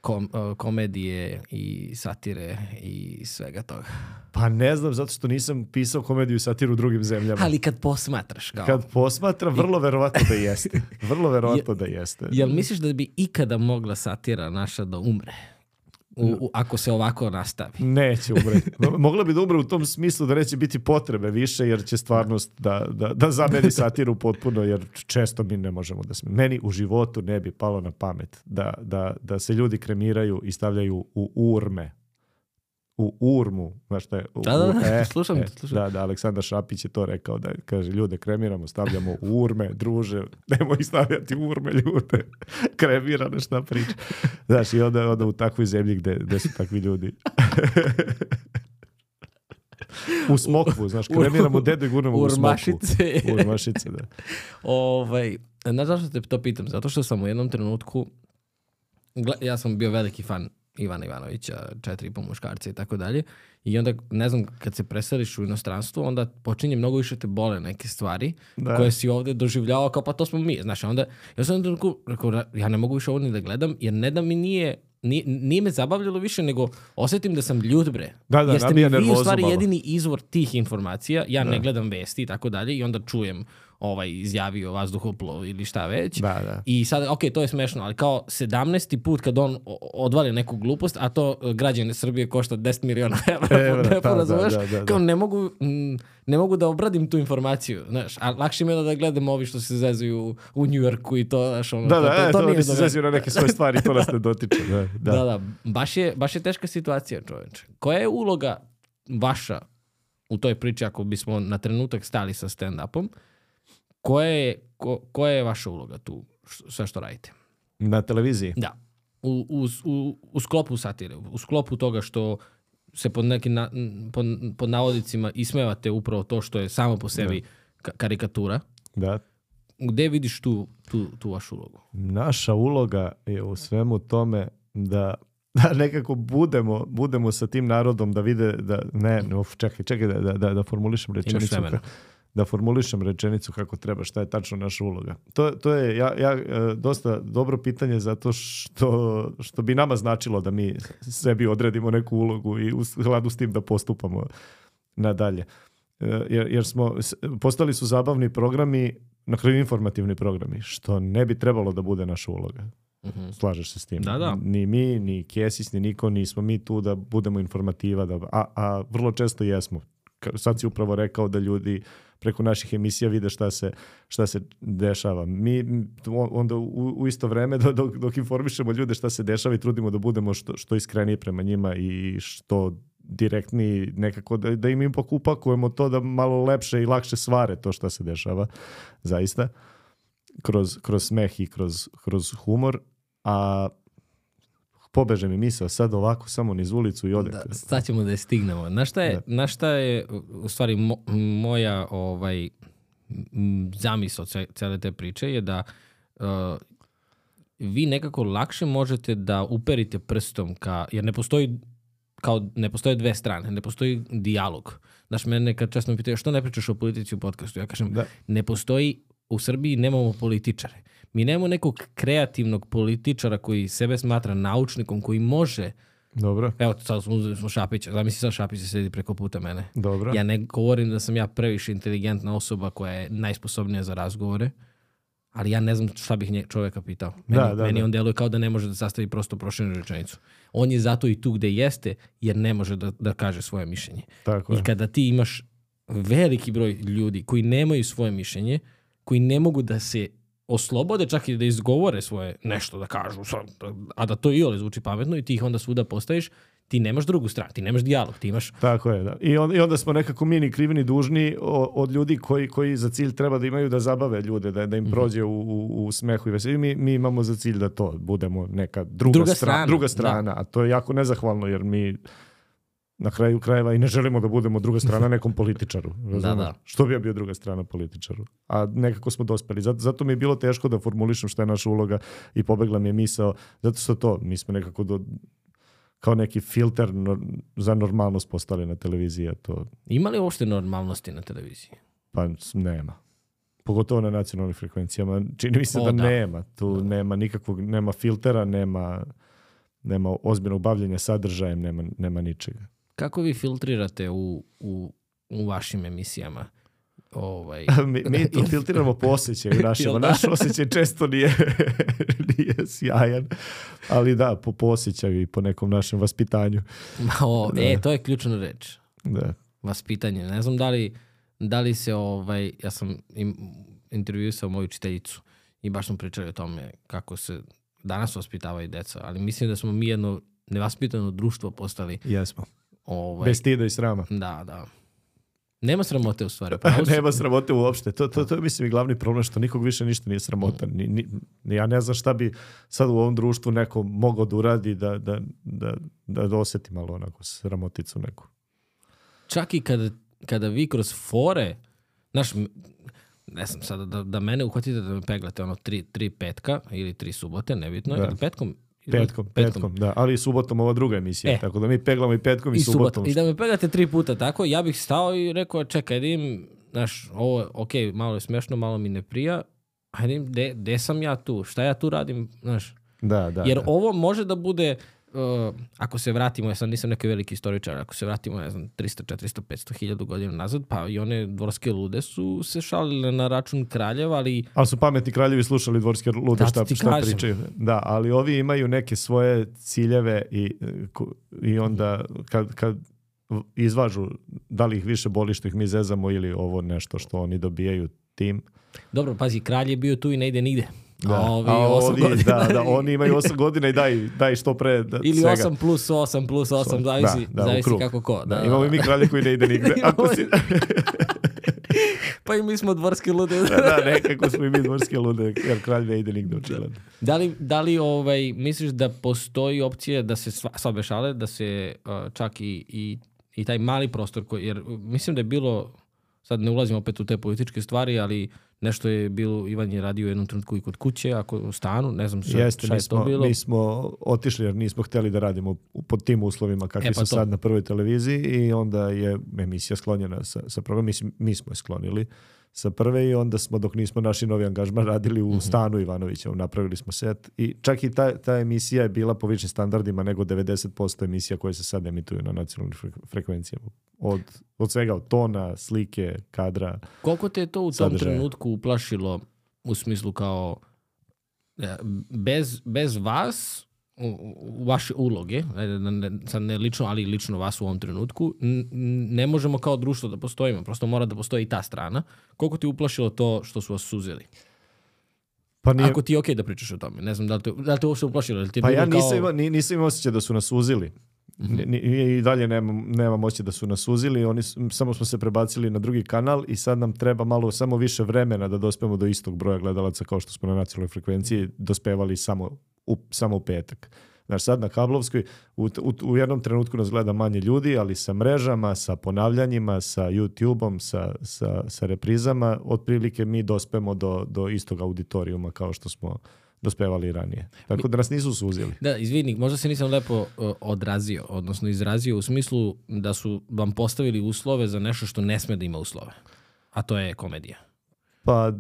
kom, komedije i satire i svega toga? Pa ne znam, zato što nisam pisao komediju i satiru u drugim zemljama. Ali kad posmatraš kao... Kad posmatram, vrlo verovatno da jeste. Vrlo verovatno da jeste. Jel misliš da bi ikada mogla satira naša da umre? U, u, ako se ovako nastavi. Neće umreti. Mogla bi da umre u tom smislu da neće biti potrebe više, jer će stvarnost da, da, da zameni satiru potpuno, jer često mi ne možemo da smo. Meni u životu ne bi palo na pamet da, da, da se ljudi kremiraju i stavljaju u urme. U urmu, znaš šta je? U, da, da, da, e, slušam e, te, slušam. Da, da, Aleksandar Šapić je to rekao, da kaže, ljude kremiramo, stavljamo u urme, druže, nemoj stavljati u urme ljude, kremirane, šta priča. Znaš, i onda, onda u takvoj zemlji gde, gde su takvi ljudi. U Smokvu, znaš, kremiramo dedu i gurnemo u Smokvu. Urmašice, da. Ovaj, znaš zašto te to pitam? Zato što sam u jednom trenutku, ja sam bio veliki fan Ivana Ivanovića, četiri i po muškarca i tako dalje. I onda, ne znam, kad se preseliš u inostranstvo, onda počinje mnogo više te bole neke stvari da. Koje si ovde doživljavao kao pa to smo mi. Znaš, onda ja sam rekao, rekao, ja ne mogu više ovo ni da gledam, jer ne da mi nije, nije, nije me zabavljalo više, nego osjetim da sam ljud, bre. Da, da, jer ste mi vi u stvari malo. Jedini izvor tih informacija, ja da. Ne gledam vesti i tako dalje i onda čujem ovaj izjavio vazduhoplov ili šta već. Da, da. I sad, ok, to je smešno, ali kao sedamnaesti put kad on odvali neku glupost, a to građane Srbije košta deset miliona evra, da, razumeš? Da, da, da. Kao ne mogu, ne mogu da obradim tu informaciju, znaš, a lakše mi je da gledam ovi što se zezuju u New Yorku i to, znaš, ono, da, to, da, to, to, to to nije se zezuju na neke svoje stvari, to nas ne dotiče. Da, da. da, da, baš je, baš je teška situacija, čoveče. Koja je uloga vaša u toj priči, ako bismo na trenutak stali sa stand-upom, koja je, ko, koja je vaša uloga tu, sve što radite? Na televiziji? Da. U, u, u, u sklopu satire, u sklopu toga što se pod nekim na, pod, pod navodicima ismevate upravo to što je samo po sebi ka, karikatura. Da. Gde vidiš tu, tu, tu vašu ulogu? Naša uloga je u svemu tome da, da nekako budemo, budemo sa tim narodom da vide da ne, no, čekaj, čekaj da, da, da formulišem rečenicu. da formulišem rečenicu kako treba, šta je tačno naša uloga. To, to je ja, ja, dosta dobro pitanje zato što, što bi nama značilo da mi sebi odredimo neku ulogu i u skladu s tim da postupamo nadalje. Jer, jer smo, postali su zabavni programi, na kraju informativni programi, što ne bi trebalo da bude naša uloga. Mhm. Slažeš se s tim? Da, da. Ni mi, ni Kesis, ni niko, nismo mi tu da budemo informativa, da, a, a vrlo često jesmo. Sad si upravo rekao da ljudi preko naših emisija vide šta se, šta se dešava. Mi onda u, u isto vreme dok, dok informišemo ljude šta se dešava i trudimo da budemo što, što iskreniji prema njima i što direktni nekako, da, da im ipak upakujemo to da malo lepše i lakše svare to šta se dešava, zaista, kroz, kroz smeh i kroz, kroz humor, a pobeže mi misao sad ovako samo niz ulicu i ode. Da, sad ćemo da je stignemo. Na šta je, na šta je u stvari mo, moja ovaj, zamisao cele te priče je da uh, vi nekako lakše možete da uperite prstom ka, jer ne postoji kao ne postoje dve strane, ne postoji dijalog. Znaš, mene kad često me pitaju što ne pričaš o politici u podcastu, ja kažem, da. Ne postoji, u Srbiji nemamo političare. Mi nemamo nekog kreativnog političara koji sebe smatra naučnikom, koji može... Dobro. Evo, sad smo, smo Šapića, zamisli sad Šapić sedi preko puta mene. Dobro. Ja ne govorim da sam ja previše inteligentna osoba koja je najsposobnija za razgovore, ali ja ne znam šta bih nje, čoveka pitao. Meni, da, da, meni da. on deluje kao da ne može da sastavi prosto proširenu rečenicu. On je zato i tu gde jeste, jer ne može da, da kaže svoje mišljenje. Tako I je. kada ti imaš veliki broj ljudi koji nemaju svoje mišljenje, koji ne mogu da se oslobode čak i da izgovore svoje nešto da kažu, a da to i ole zvuči pametno i ti ih onda svuda postaviš, ti nemaš drugu stranu, ti nemaš dijalog, ti imaš... Tako je, da. I, on, i onda smo nekako mi ni krivi ni dužni od ljudi koji, koji za cilj treba da imaju da zabave ljude, da, da im prođe u, u, u smehu i veselju. Mi, mi imamo za cilj da to budemo neka druga, druga stra, strana, druga strana, a to je jako nezahvalno jer mi na kraju krajeva i ne želimo da budemo druga strana nekom političaru. Da, da. Što bi ja bio druga strana političaru? A nekako smo dospeli. Zato, zato mi je bilo teško da formulišem šta je naša uloga i pobegla mi je misao. Zato što to, mi smo nekako do, kao neki filter no, za normalnost postali na televiziji. A to... Ima li uopšte normalnosti na televiziji? Pa nema. Pogotovo na nacionalnim frekvencijama. Čini mi se o, da, da nema. Tu da. nema nikakvog, nema filtera, nema, nema ozbiljnog bavljenja sadržajem, nema, nema ničega. Kako vi filtrirate u, u, u vašim emisijama? Ovaj... mi, mi to filtriramo po osjećaju našem. Naš osjećaj često nije, nije sjajan, ali da, po, po osjećaju i po nekom našem vaspitanju. O, e, to je ključna reč. Da. Vaspitanje. Ne znam da li, da li se, ovaj, ja sam im, intervjuisao moju učiteljicu i baš smo pričali o tome kako se danas vaspitavaju deca, ali mislim da smo mi jedno nevaspitano društvo postali. Jesmo. Ovaj, bez stida i srama. Da, da. Nema sramote u stvari. Nema sramote uopšte. To, to, to je mislim i glavni problem što nikog više ništa nije sramota. Ni, ni, ja ne znam šta bi sad u ovom društvu neko mogao da uradi da, da, da, da osjeti malo onako sramoticu neku. Čak i kada, kada vi kroz fore, znaš, ne znam sada da, da mene uhvatite da me peglate ono tri, tri petka ili tri subote, nebitno, ili petkom. Petkom, petkom, petkom, da, ali i subotom ova druga emisija, e, tako da mi peglamo i petkom i, i subotom. I da me peglate tri puta tako, ja bih stao i rekao, čekaj, idem, znaš, ovo, ok, malo je smešno, malo mi ne prija, ajde, de, de sam ja tu, šta ja tu radim, znaš. Da, da. Jer da. ovo može da bude, uh, ako se vratimo, ja sam nisam neki veliki istoričar, ako se vratimo, ne znam, tristo, četiristo, petsto hiljada godina nazad, pa i one dvorske lude su se šalile na račun kraljeva, ali... Ali su pametni kraljevi slušali dvorske lude šta, šta pričaju. Da, ali ovi imaju neke svoje ciljeve i, i onda kad, kad izvažu da li ih više boli što ih mi zezamo ili ovo nešto što oni dobijaju tim. Dobro, pazi, kralj je bio tu i ne ide nigde. Da. A ovi, A osam ovi, godina. da, da, oni imaju osam godina i daj, daj što pre da, ili svega. osam plus osam plus osam, zavisi, da, da, zavisi kako ko. Da, da, imamo i mi kralje koji ne ide nigde. Ako si... Pa i mi smo dvorske lude. da, da, nekako smo i mi dvorske lude, jer kralj ne ide nigde očigledno. Da li, da li ovaj, misliš da postoji opcija da se sva, sva bešale, da se uh, čak i, i, i taj mali prostor, koji, jer mislim da je bilo, sad ne ulazim opet u te političke stvari, ali Nešto je bilo, Ivan je radio u jednom trenutku i kod kuće, ako u stanu, ne znam šta, Jeste, šta je mi smo, to bilo. mi smo otišli jer nismo htjeli da radimo pod tim uslovima kakvi E, pa su to. sad na prvoj televiziji i onda je emisija sklonjena sa, sa programa. Mislim, mi smo je sklonili sa prve i onda smo, dok nismo naši novi angažman, radili u stanu Ivanovićevom, napravili smo set i čak i ta, ta emisija je bila po višim standardima nego devedeset posto emisija koje se sad emituju na nacionalnim fre- frekvencijama. Od, od svega, od tona, slike, kadra. Koliko te je to u tom sadržaja. trenutku uplašilo u smislu kao e, bez, bez vas u, u vaše uloge, ne, ne, sad ne lično, ali lično vas u ovom trenutku, n, ne možemo kao društvo da postojimo, prosto mora da postoji i ta strana. Koliko ti je uplašilo to što su vas suzeli? Pa nije, Ako ti je okej da pričaš o tome, ne znam da li te, da li te uopšte uplašilo? Ili ti je pa bilo ja nisam, kao... imao, ni- nisam imao osjećaj da su nas uzili. Ni- ni- I dalje nemam, nemam osjećaj da su nas uzili. Oni su, samo smo se prebacili na drugi kanal i sad nam treba malo samo više vremena da dospemo do istog broja gledalaca kao što smo na nacionalnoj frekvenciji dospevali samo u, samo u petak. Znači sad na kablovskoj u, u, u jednom trenutku nas gleda manje ljudi, ali sa mrežama, sa ponavljanjima, sa YouTubeom, sa, sa, sa reprizama, otprilike mi dospemo do, do istog auditorijuma kao što smo dospevali ranije. Tako da nas nisu suzili. Da, izvini, možda se nisam lepo uh, odrazio, odnosno izrazio u smislu da su vam postavili uslove za nešto što ne sme da ima uslove. A to je komedija. Pa d-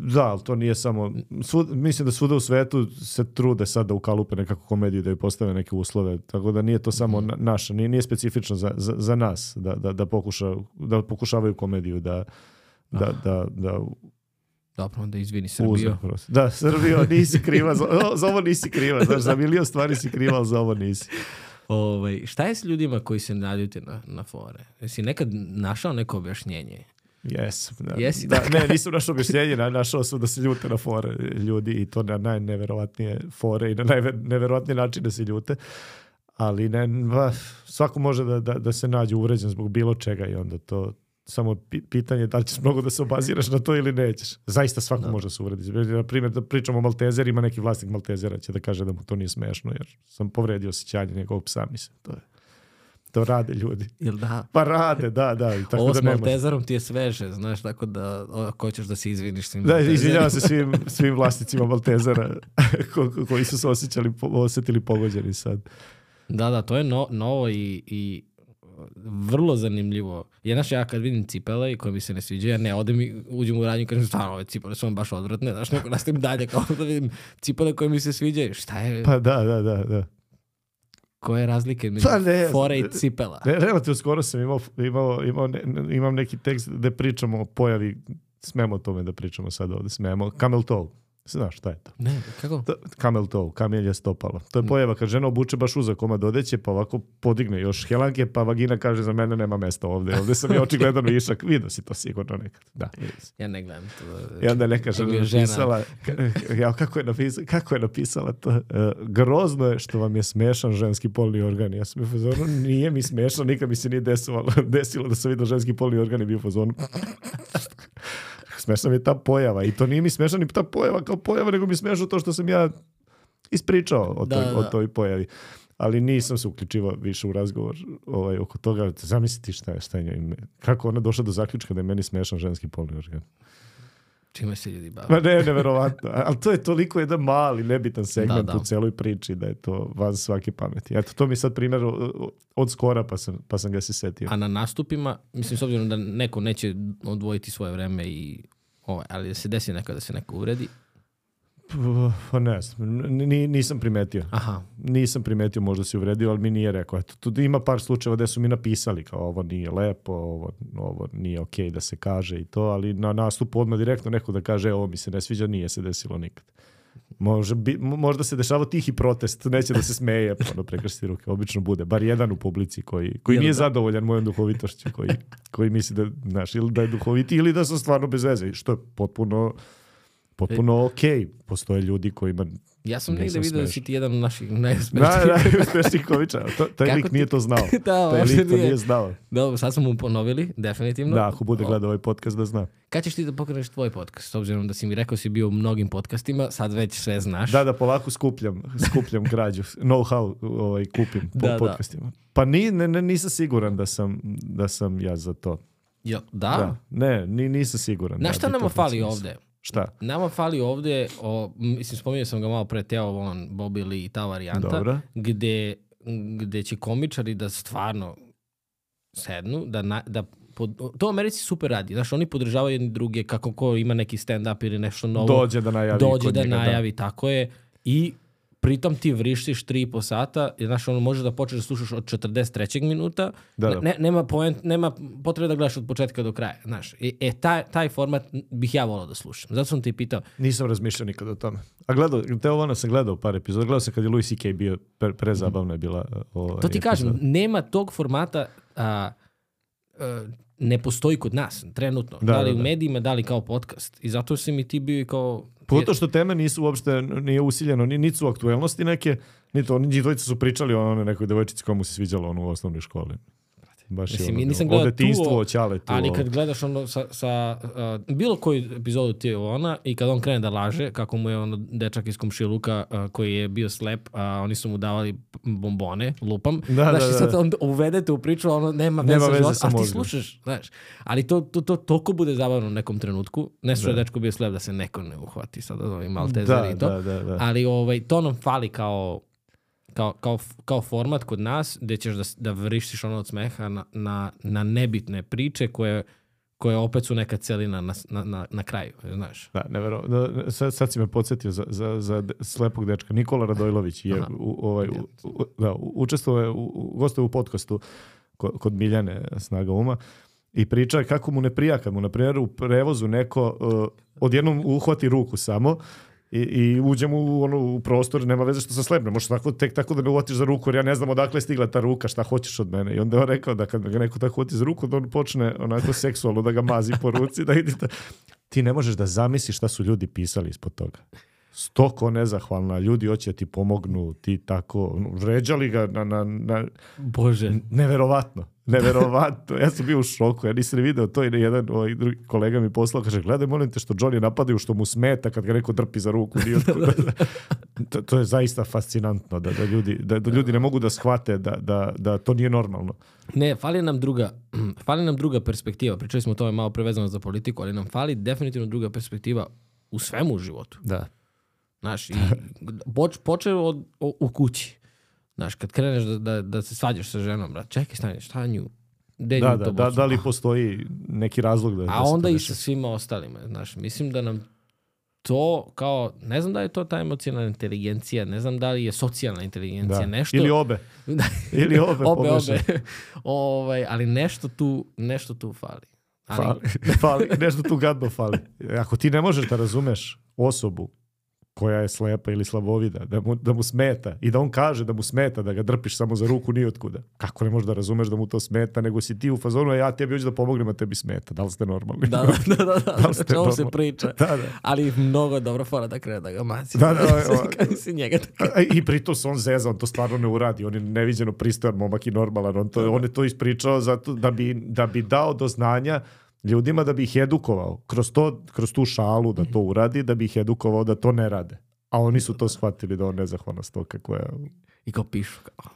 da, ali to nije samo... Svud, mislim da svuda u svetu se trude sad da ukalupe nekakvu komediju, da joj postave neke uslove. Tako da nije to samo na, naša, nije, nije specifično za, za, za nas da, da, da, pokuša, da pokušavaju komediju, da, da, da, da Dobro, onda izvini uzme Srbijo. prosto. Da, Srbijo, nisi kriva, za, o, za ovo nisi kriva. Znaš, za milion stvari si kriva, ali za ovo nisi. Ovaj, šta je s ljudima koji se naljute na, na fore? Jesi nekad našao neko objašnjenje? Jesam, da. Jesi, da, dakle. ne, nisam našao objašnjenje, na- našao sam da se ljute na fore ljudi i to na najneverovatnije fore i na najneverovatnije načine se ljute. Ali ne, va, svako može da, da, da se nađe uvređen zbog bilo čega i onda to samo pi- pitanje je da li ćeš mnogo da se obaziraš na to ili nećeš. Zaista svako može da se uvredi. Na primjer, da pričamo o Maltezerima, neki vlasnik Maltezera će da kaže da mu to nije smešno jer sam povredio osjećanje njegovog psa, mislim. To je. To rade ljudi. Jel da? Pa rade, da, da. I tako Ovo da s ne može. Maltezarom ti je sveže, znaš, tako da o, ako hoćeš da se izviniš svim Da, Maltezerima. izvinjavam se svim, svim vlasnicima Maltezera ko, ko- koji su se osjećali, po- osjetili pogođeni sad. Da, da, to je no, novo i, i vrlo zanimljivo. Ja, znaš, ja kad vidim cipele koje mi se ne sviđaju, ja ne odem i uđem u radnju i kažem, stvarno, ove cipele su vam baš odvratne. Znaš, neko nastavim dalje, kao da vidim cipele koje mi se sviđaju. Šta je, Pa da, da, da, da. koje je razlike među Pa ne, fore i cipela? Ne, relativno skoro sam imao, imao, imao ne, ne- imam neki tekst gde pričamo o pojavi, smemo o tome da pričamo sad ovdje, smemo, camel toe. Znaš šta je to? Ne, kako? To- Camel toe, kamelje stopalo. To je pojava kad žena obuče baš uzak komad odeće, pa ovako podigne još helanke, pa vagina kaže za mene nema mesta ovdje. Ovdje sam ja očigledan višak. Vidio si to sigurno nekad. Da, vidio si. Ja ne gledam to. I onda je neka To mi žena je žena. napisala, ka- ja, kako, je napisala kako je napisala to? E, grozno je što vam je smešan ženski polni organ. Ja sam u fazonu, nije mi smešno, nikad mi se nije desilo, desilo da sam vidio ženski polni organ i bio u fazonu. Smešna mi je ta pojava i to nije mi smešna ni ta pojava kao pojava, nego mi je smešno to što sam ja ispričao o, Da, toj, da. o toj pojavi. Ali nisam se uključivao više u razgovor ovaj, oko toga. Zamisliti šta je, šta je njoj, kako ona došla do zaključka da je meni smešan ženski polni organ. Čime se ljudi bave? Ma ne, neverovatno. Ali to je toliko jedan mali, nebitan segment Da, da. u celoj priči da je to van svake pameti. Eto, to mi je sad primjer o- od skora pa sam, pa sam ga se setio. A na nastupima, mislim, s obzirom da neko neće odvojiti svoje vreme i ovaj, ali da se desi nekada da se neko uvredi. Pa ne znam, n- ni- nisam primetio. Aha, Nisam primetio, možda si uvredio, ali mi nije rekao. Eto, tu ima par slučajeva gde su mi napisali kao ovo nije lepo, ovo, ovo nije okej da se kaže i to, ali na nastupu odmah direktno neko da kaže e, ovo mi se ne sviđa, nije se desilo nikad. Može bi, mo- možda se dešava tihi protest, neće da se smeje, pa ono prekrsti ruke, obično bude. Bar jedan u publici koji, koji Jel nije da? zadovoljan mojom duhovitošću, koji, koji misli da, znaš, ili da je duhoviti ili da sam stvarno bez veze, što je potpuno potpuno okej. Postoje ljudi kojima... ja sam negde Nisam vidio da si smešan. ti jedan od naših Da, najuspešnijih. da, uspešnijih komičara. To, taj Kako lik ti- nije to znao. Da, Taj uopšte lik to nije. nije znao. Dobro, sad smo mu ponovili, definitivno. Da, ako bude gledao ovaj podcast da zna. Kad ćeš ti da pokreneš tvoj podcast? S obzirom da si mi rekao si bio u mnogim podcastima, sad već sve znaš. Da, da, polako skupljam, skupljam građu. Know-how ovaj, kupim po Da, da. podcastima. Pa ni, ne, ne, nisam siguran da sam, da sam ja za to. Jel, da? Da. Ne, ni, nisam siguran. Znaš da šta bi nama to fali funkcionisalo. ovde? Šta? Nama fali ovde, o, mislim, spominjao sam ga malo pre, Theo Von, Bobby Lee i ta varijanta, Dobro. gde, gde će komičari da stvarno sednu, da, na, da pod, to u Americi super radi. Znaš, oni podržavaju jedni druge, kako ko ima neki stand-up ili nešto novo. Dođe da najavi. Dođe kod da njega, najavi, tako je. I pritom ti vrištiš tri i po sata, jer, znaš, ono može da počneš da slušaš od četrdeset trećeg minuta, Da, da. Ne, nema, point, nema potrebe da gledaš od početka do kraja, znaš. E, e taj, taj format bih ja volao da slušam. Zato sam ti pitao. Nisam razmišljao nikad o tome. A gledao, Teo Vona sam gledao par epizoda. Gledao sam kad je Louis C K bio, pre, prezabavna je bila. Ovaj, To ti epizoda. kažem, nema tog formata, a, a, ne postoji kod nas, trenutno. Da, Da li da, u da. medijima, da li kao podcast. I zato si mi ti bio i kao... Pogotovo što teme nisu uopšte, nije usiljeno, ni, niti su aktuelnosti neke, ni to, njih dvojica su pričali o onoj nekoj devojčici komu se sviđalo ono u osnovnoj školi. Baš Mislim, je ono, nisam o gledao detinjstvu, tu, o ćaletu. ali o- kad gledaš ono sa, sa uh, bilo koju epizodu ti je ona i kad on krene da laže, kako mu je ono dečak iz komšiluka uh, koji je bio slep, a oni su mu davali bombone, lupam. Da, znaš, da, i sad da. on uvedete u priču, ono nema Nema veze, veze život, sa a ti mozgom. slušaš, znaš. Ali to, to, to toliko bude zabavno u nekom trenutku. Ne što je Da. dečko bio slep da se neko ne uhvati sad od ovih maltezeri Da, i to. da, da, da. Ali ovaj, to nam fali kao Kao, kao, kao format kod nas gde ćeš da, da vrištiš ono od smeha na, na, na nebitne priče koje, koje opet su neka celina na, na, na, na kraju, znaš. Da, nevero, da, sad, sad si me podsjetio za, za, za de- slepog dečka. Nikola Radojlović je Aha. u, ovaj, u, u, da, učestvovao je, u, u, gostuje u podcastu kod, kod Miljane Snaga uma i priča je kako mu ne prija kad mu, na primjer, u prevozu neko uh, odjednom uhvati ruku samo i, i uđe mu u, ono, u prostor, nema veze što sam slep, ne možeš tako, tek tako da me uhvatiš za ruku, jer ja ne znam odakle je stigla ta ruka, šta hoćeš od mene. I onda je on rekao da kad ga neko tako uhvati za ruku, da on počne onako seksualno da ga mazi po ruci, da ide. Ti ne možeš da zamisliš šta su ljudi pisali ispod toga. Stoko nezahvalna, ljudi hoće da ti pomognu, ti tako, vređali ga na, na, na Bože. neverovatno, neverovatno. Ja sam bio u šoku, ja nisam video to i jedan ovaj drugi kolega mi poslao, kaže, gledaj, molim te što Johnny napadaju, što mu smeta kad ga neko drpi za ruku. Nije otkud. to, to je zaista fascinantno, da, da, ljudi, da, da ljudi ne mogu da shvate da, da, da to nije normalno. Ne, fali nam druga, fali nam druga perspektiva. Pričali smo o tome malo prevezano za politiku, ali nam fali definitivno druga perspektiva u svemu u životu. Da. Znaš, i poč, počeo od, o, u kući. Znaš, kad kreneš da, da, da se svađaš sa ženom, brat, čekaj, stani, šta nju? Gde Da, nju da, to da, bocu? da li postoji neki razlog da, da A se onda to i dešava? sa svima ostalima, znaš, mislim da nam to kao, ne znam da je to ta emocionalna inteligencija, ne znam da li je socijalna inteligencija, Da. nešto... Ili obe. Ili obe. obe, pomešane. obe. ovaj, ali nešto tu, nešto tu fali. Ali, Fali, fali, nešto tu gadno fali. Ako ti ne možeš da razumeš osobu koja je slepa ili slabovida, da mu, da mu smeta i da on kaže da mu smeta, da ga drpiš samo za ruku nijotkuda. Kako ne možeš da razumeš da mu to smeta, nego si ti u fazonu, a ja tebi hoću da pomognem, a tebi smeta. Da li ste normalni? da, da, da, da, Da da, li ste o čemu se normalni? priča. Da, da. Ali mnogo dobra fora da krene da ga maci. Da, da, da. Kad si njega tako... A- I pritom se on zeza, on to stvarno ne uradi. On je neviđeno pristojan momak i normalan. On, to, on je to ispričao zato da bi, da bi dao do znanja ljudima, da bi ih edukovao. Kroz, to, kroz tu šalu da to uradi, da bi ih edukovao da to ne rade. A oni su to shvatili da on nezahvalna stoka koja... I kao pišu. Kao.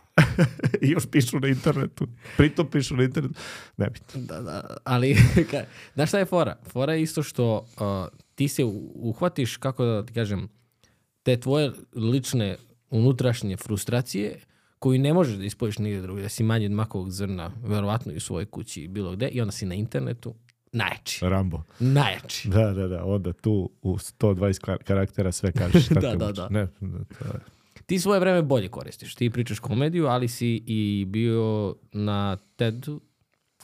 I još pišu na internetu. Pritom pišu na internetu. Nebitno. Da, da, ali, ka, znaš šta je fora? Fora je isto što uh, ti se u- uhvatiš, kako da ti kažem, te tvoje lične unutrašnje frustracije koju ne možeš da ispojiš nigde drugi, da si manji od makovog zrna, verovatno i u svojoj kući i bilo gde, i onda si na internetu najjači. Rambo. Najjači. Da, da, da. Onda tu u sto dvadeset kar- karaktera sve kažeš. šta Da, te da, muči. da. Ne, da, to je- Ti svoje vreme bolje koristiš. Ti pričaš komediju, ali si i bio na TED-u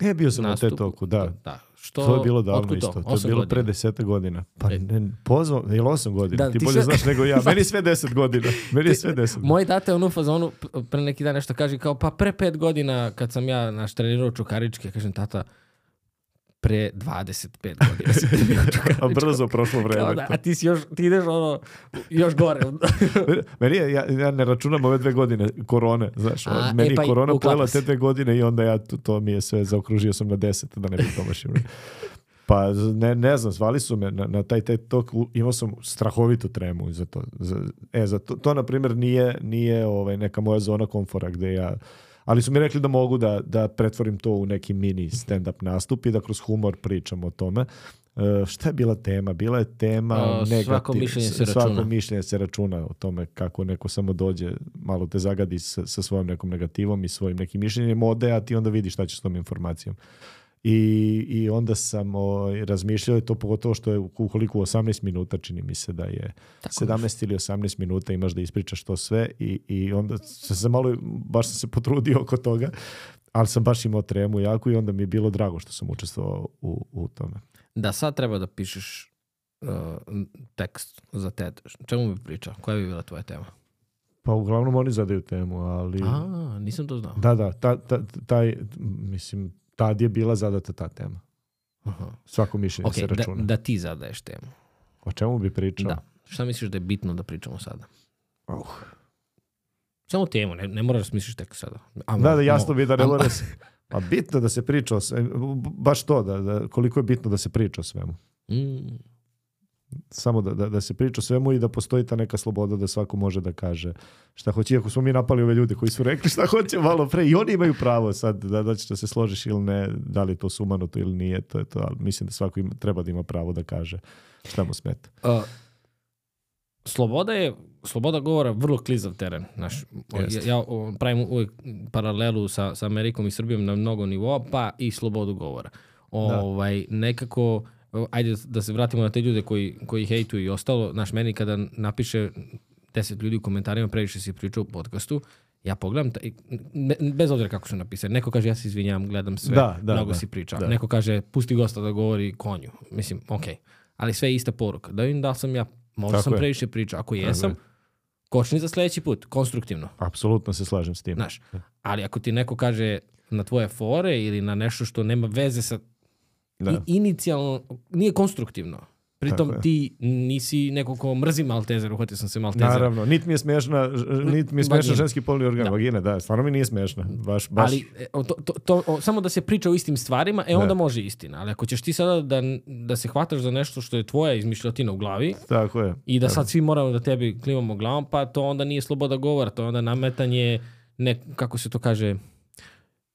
E, bio sam nastupu. na TED Talku, da. Da. Što, To je bilo davno otkud isto. To je Osam bilo godina. pre deseta godina. Pa E. ne, pozvao, je li osam godina? Da, ti ti bolje sve- znaš nego ja. Meni je sve deset godina. Meni je sve deset. Moj tata je on u fazonu p- pre neki dan nešto kaže kao pa pre pet godina kad sam ja naš trenirao čukaričke, kažem tata pre dvadeset pet godina si trenirao A čukaričke. brzo prošlo Kao vreme. da, a ti si još, ti ideš ono, još gore. Meni je, ja, ja ne računam ove dve godine korone, znaš. A, meni e, je pa i korona uklapa pojela se. te dve godine i onda ja, to, to mi je sve, zaokružio sam na deset, da ne bi promašio. Pa ne, ne znam, zvali su me na, na taj TED Talk, u- imao sam strahovitu tremu za to. Za, e, za to, to na primjer nije, nije ovaj, neka moja zona komfora gde ja, Ali su mi rekli da mogu da, da pretvorim to u neki mini stand-up nastup i da kroz humor pričam o tome. Uh, šta je bila tema? Bila je tema A, negativ, svako mišljenje se svako računa. mišljenje se računa o tome kako neko samo dođe, malo te zagadi sa, sa svojom nekom negativom i svojim nekim mišljenjem ode, a ti onda vidiš šta ćeš s tom informacijom. I, i onda sam o, razmišljao je to pogotovo što je ukoliko u osamnaest minuta čini mi se da je Tako sedamnaest ili osamnaest minuta imaš da ispričaš to sve i, i onda sam se malo, baš sam se potrudio oko toga, ali sam baš imao tremu jako i onda mi je bilo drago što sam učestvovao u, u tome. Da sad treba da pišeš uh, tekst za TED, čemu bi pričao? Koja bi bila tvoja tema? Pa uglavnom oni zadaju temu, ali... A, nisam to znao. Da, da, ta, ta, taj, mislim, tad je bila zadata ta tema. Aha. Svako mišljenje Ok, se da, računa. da ti zadaješ temu. O čemu bi pričao? Da. Šta misliš da je bitno da pričamo sada? Uh. Samo temu, ne, ne moraš misliš tek sada. A, Da, da, jasno mo- bi da ne a- mora se... A bitno da se priča o svemu, baš to, da, da, koliko je bitno da se priča o svemu. Mm, Samo da, da, da se priča o svemu i da postoji ta neka sloboda da svako može da kaže šta hoće. Iako smo mi napali ove ljude koji su rekli šta hoće malo pre i oni imaju pravo sad da, da ćeš da se složiš ili ne, da li je to sumanuto ili nije, to je to, ali mislim da svako ima, treba da ima pravo da kaže šta mu smeta. uh, sloboda je, sloboda govora vrlo klizav teren. Znaš, ja, Jeste. ja o, pravim uvijek paralelu sa, sa Amerikom i Srbijom na mnogo nivoa, pa i slobodu govora. Ovaj, nekako, ajde da se vratimo na te ljude koji, koji hejtuju i ostalo. Znaš, meni kada napiše deset ljudi u komentarima previše si pričao u podcastu, ja pogledam, taj, ne- bez obzira kako su napisali. Neko kaže ja se izvinjam, gledam sve, Da, da, mnogo da, si pričao. da. Neko kaže pusti gosta da govori konju. Mislim, okej. Ali sve je ista poruka. Da vidim da li sam ja, možda Tako sam je. previše pričao. Ako Tako jesam, je. kočni za sljedeći put, konstruktivno. Apsolutno se slažem s tim. Znaš, ali ako ti neko kaže na tvoje fore ili na nešto što nema veze sa Da. i, inicijalno, nije konstruktivno. Pritom Tako je. ti nisi neko ko mrzi Maltezer, uhvatio sam se Maltezera. Naravno, niti mi je smiješna, ž- niti mi je smiješan Vagina. ženski polni organ, Da. vagina, da, stvarno mi nije smiješna. Baš, baš. Ali e, o, to, to, to, o, samo da se priča o istim stvarima, e Da. onda može istina. Ali ako ćeš ti sada da, da se hvataš za nešto što je tvoja izmišljotina u glavi Tako je. i da sad svi moramo da tebi klimamo glavom, pa to onda nije sloboda govora, to je onda nametanje, ne, kako se to kaže,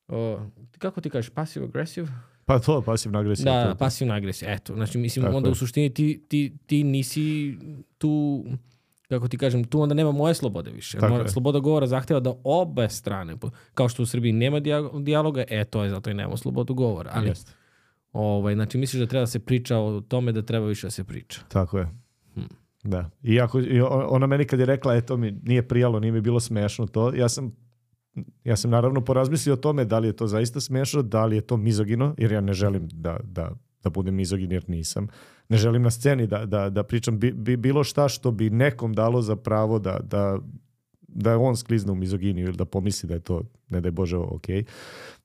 o, kako ti kažeš, passive aggressive? Pa to, pasivna agresija. to je Da, to. pasivna agresija. Eto, znači mislim Tako onda je. u suštini ti, ti, ti nisi tu, kako ti kažem, tu onda nema moje slobode više. Tako Mora, je. sloboda govora zahteva da obe strane, kao što u Srbiji nema dija- dijaloga, e to je zato i nemamo slobodu govora. Ali, Jeste. ovaj, znači misliš da treba da se priča o tome da treba više da se priča. Tako je. Hmm. Da. I ako, i o- ona meni kad je rekla, e, to mi nije prijalo, nije mi bilo smešno to, ja sam, ja sam naravno porazmislio o tome da li je to zaista smešno, da li je to mizogino, jer ja ne želim da, da, da budem mizogin jer nisam. Ne želim na sceni da, da, da pričam bi, bi, bilo šta što bi nekom dalo za pravo da, da, da on sklizne u mizoginiju ili da pomisli da je to, ne daj Bože, ok.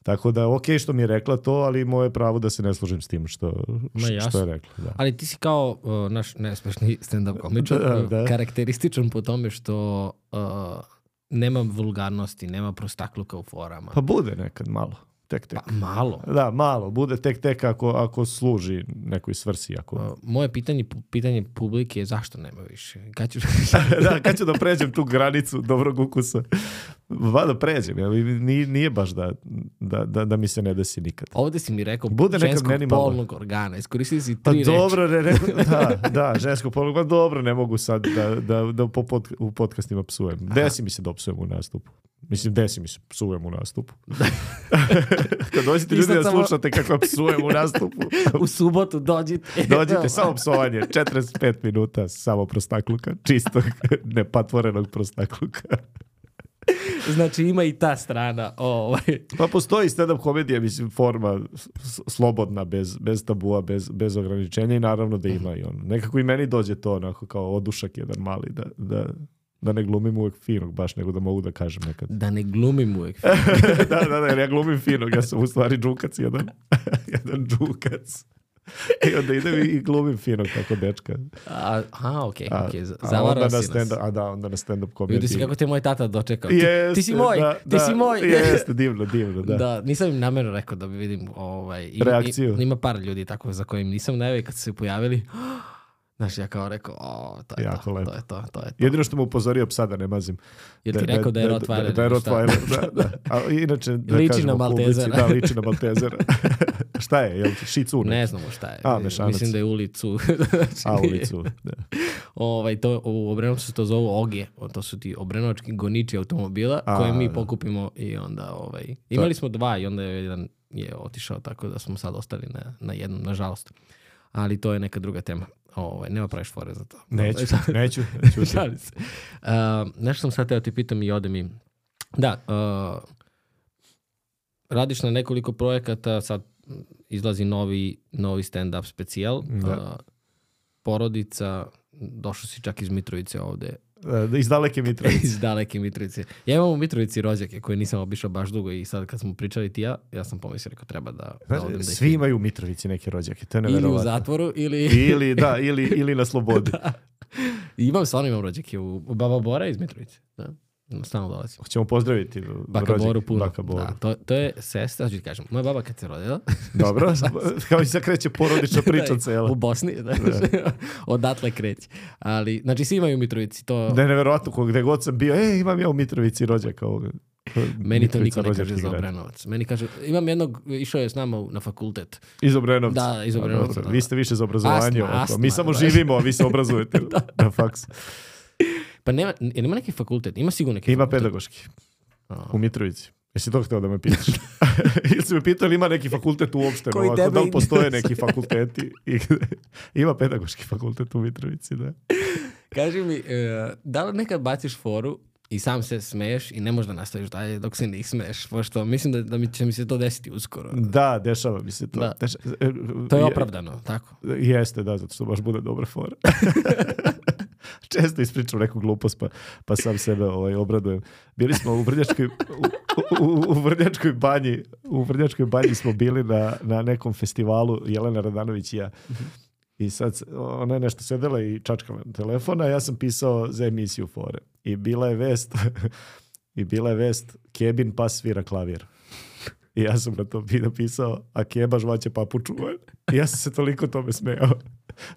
Tako da, ok što mi je rekla to, ali moje pravo da se ne složim s tim što, Ma, što jasno. je rekla. Da. Ali ti si kao uh, naš nespešni stand-up komičar, Da, uh, da. karakterističan po tome što uh, nema vulgarnosti, nema prostakluka u forama. Pa bude nekad malo. Tek, tek. Pa, malo. Da, malo. Bude tek, tek ako, ako služi nekoj svrsi. Ako... Uh, moje pitanje, pitanje publike je zašto nema više? Kad ću... da, kad ću da pređem tu granicu dobrog ukusa? Va da pređem. Ja, nije, nije baš da, da, da, da mi se ne desi nikad. Ovdje si mi rekao Bude nekad ženskog meni malo. polnog organa. Iskoristili si Pa tri reči. dobro, re, re, da, da, žensko polu, pa dobro, ne mogu sad da, da, da po pod, u podcastima psujem. Desi mi se da psujem u nastupu. Mislim, desi mi se psujem u nastupu. Kad dođete I ljudi sad da samo- slušate kako psujem u nastupu, U subotu dođite. dođite, samo psovanje, četrdeset pet minuta, samo prostakluka, čistog, nepatvorenog prostakluka. Znači ima i ta strana. Ovaj. Pa postoji stand-up komedija, mislim, forma s- slobodna, bez, bez tabua, bez, bez ograničenja i naravno da ima i on. Nekako i meni dođe to onako kao odušak jedan mali, da, da, da ne glumim uvek finog baš, nego da mogu da kažem nekad. Da ne glumim uvijek. da, da, da, jer ja glumim finog, ja sam u stvari džukac jedan. jedan džukac. I onda idem i- i glumim finog tako dečka. A, aha, okej, A, okej, za- a zavarao onda na si nas. stand a da, onda na stand-up komediji. Vidio si kako te moj tata dočekao. Ti, Jeste, ti si moj, da, ti da, si moj. Jeste, divno, divno, da. Da, nisam im namjerno rekao da bi vidim ovaj, i- Reakciju. i- ima par ljudi tako za kojim nisam najavio kad su se pojavili. Znaš, ja kao rekao, o, to je Jako to, lepo. to je to, to je to. Jedino što mu upozorio psa da ne mazim. Jer ti rekao da je Rottweiler. Da je ili šta? Rottweiler, da, da. A inače, da Liči kažemo na publici, Maltezera. Da, liči na Maltezera. Šta je? Jel Shih Tzu? Ne znamo šta je. A, mešanac. Mislim da je ulicu. A, ulicu, da. Ovaj, to, u Obrenovcu se to zovu oge. To su ti obrenovački goniči automobila A, koje mi da. pokupimo i onda ovaj, imali smo dva i onda je jedan je otišao, tako da smo sad ostali na, na jednom, nažalost. Ali to je neka druga tema. Ovaj, nema praviš fore za to. Neću, neću. neću. Šalim se. Uh, nešto sam sad teo ti pitam i ode mi. Da, uh, radiš na nekoliko projekata, sad izlazi novi, novi stand-up specijal. Da. Uh, porodica, došao si čak iz Mitrovice ovde. Uh, iz daleke Mitrovice. iz daleke Mitrovice. Ja imam u Mitrovici rođake koje nisam obišao baš dugo i sad kad smo pričali ti ja, ja sam pomislio rekao treba da, da odem da Svi ih... imaju u Mitrovici neke rođake, to je Ili neverovatno. u zatvoru, ili... ili, da, ili, ili na slobodi. da. Imam, stvarno imam rođake u, u Baba Bora iz Mitrovice. Da. Stalno dolazim. Hoćemo pozdraviti Baka rođake. Boru puno. Baka Boru. Da, to, to je sestra, ću ti kažem, moja baba kad se rodila... Dobro, kao i sad kreće porodična priča cela. U Bosni, da. Odatle kreće. Ali, znači, svi imaju u Mitrovici to... Da je neverovatno, gde god sam bio, e, imam ja u Mitrovici rođaka ovoga. Meni to niko ne rođački kaže za grad. Obrenovac. Meni kaže, imam jednog, išao je s nama na fakultet. Iz Obrenovca. Da, iz Obrenovca, Dobro, da, Vi da. ste više za obrazovanje. Astma, ovako. astma, Mi samo da. živimo, a vi se obrazujete na faksu. Pa nema, jer ima neki fakultet, ima sigurno neki Ima fakultet. pedagoški A. u Mitrovici. Jesi to hteo da me pitaš? Ili si me pitao ili ima neki fakultet uopšte? Koji Ovako, tebe da li postoje interesuje? neki fakulteti? I, ima pedagoški fakultet u Mitrovici, da. Kaži mi, e, da li nekad baciš foru i sam se smeješ i ne možeš da nastaviš dalje dok se ne smeješ, pošto mislim da, da mi će mi se to desiti uskoro. Da, dešava mi se to. Da. Deša, To je opravdano, tako? Jeste, da, zato što baš bude dobra fora. Često ispričam neku glupost, pa, pa sam sebe ovaj, obradujem. Bili smo u Vrnjačkoj, u, u, u Vrnjačkoj banji, u Vrnjačkoj banji smo bili na, na nekom festivalu, Jelena Radanović i ja. I sad ona je nešto sedela i čačkala na telefon, a ja sam pisao za emisiju fore. I bila je vest, i bila je vest, Kebin pas svira klavir. I ja sam na to napisao, a Keba žvaće papuču. I ja sam se toliko tome smejao.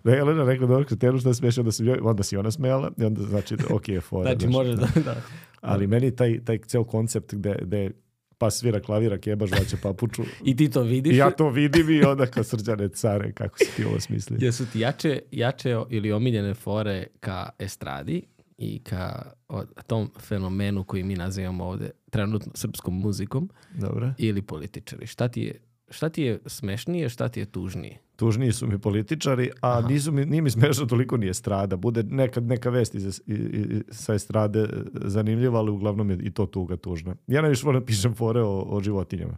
Da je Jelena rekla, dobro, kretenu što je smešao, da sam joj, onda si ona smejala, i onda znači, da, ok, je fora. Znači, znaš, može da, da. Ali meni taj, taj ceo koncept gde, gde pas svira klavira, Keba žvaće papuču, I ti to vidiš? i ja to vidim i onda kao Srđane care, kako si ti ovo smislio. Jesu ti jače, jače ili omiljene fore ka estradi i ka o, tom fenomenu koji mi nazivamo ovde trenutno srpskom muzikom Dobro. ili političari? Šta ti je, šta ti je smešnije, šta ti je tužnije? Tužniji su mi političari, a nisu mi, nije mi smešno toliko ni estrada. Bude nekad neka vest iz, iz, iz, sa estrade zanimljiva, ali uglavnom je i to tuga tužna. Ja najviše volim da pišem fore o, o životinjama.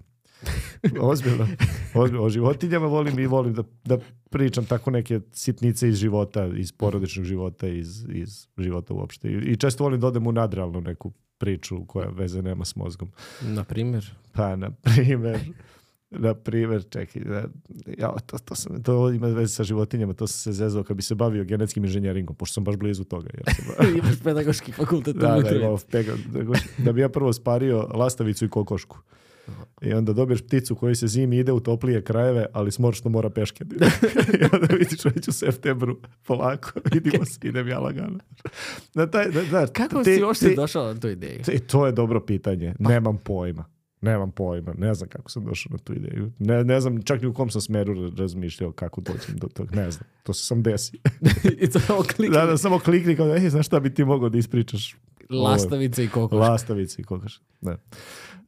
Ozbiljno. Ozbiljno. O životinjama volim i volim da, da pričam tako neke sitnice iz života, iz porodičnog života, iz, iz života uopšte. I, i često volim da odem u nadrealnu neku priču koja veze nema s mozgom. Na primjer? Pa, na primjer... Na primjer, čekaj, ja, to, to, sam, to ima veze sa životinjama, to sam se zezao kad bi se bavio genetskim inženjeringom, pošto sam baš blizu toga. Ja sam, Imaš pedagoški fakultet. da, da, imao, pega, da bi ja prvo spario lastavicu i kokošku. I onda dobiješ pticu koji se zimi ide u toplije krajeve, ali smorčno mora peške. I onda vidiš već u septembru, polako, vidimo se, idem ja lagano. Da, taj, da, da, Kako te, si uopšte te, došao na tu ideju? te, to je dobro pitanje. Pa. Nemam pojma. Nemam pojma, ne znam kako sam došao na tu ideju. Ne, ne znam čak i u kom sam smeru razmišljao kako dođem do tog, ne znam. To se sam desi. I to samo klikni. Da, da, samo klikni kao da, ej, znaš šta bi ti mogao da ispričaš? Lastavice i kokoš. Lastavice i kokoš. Ne.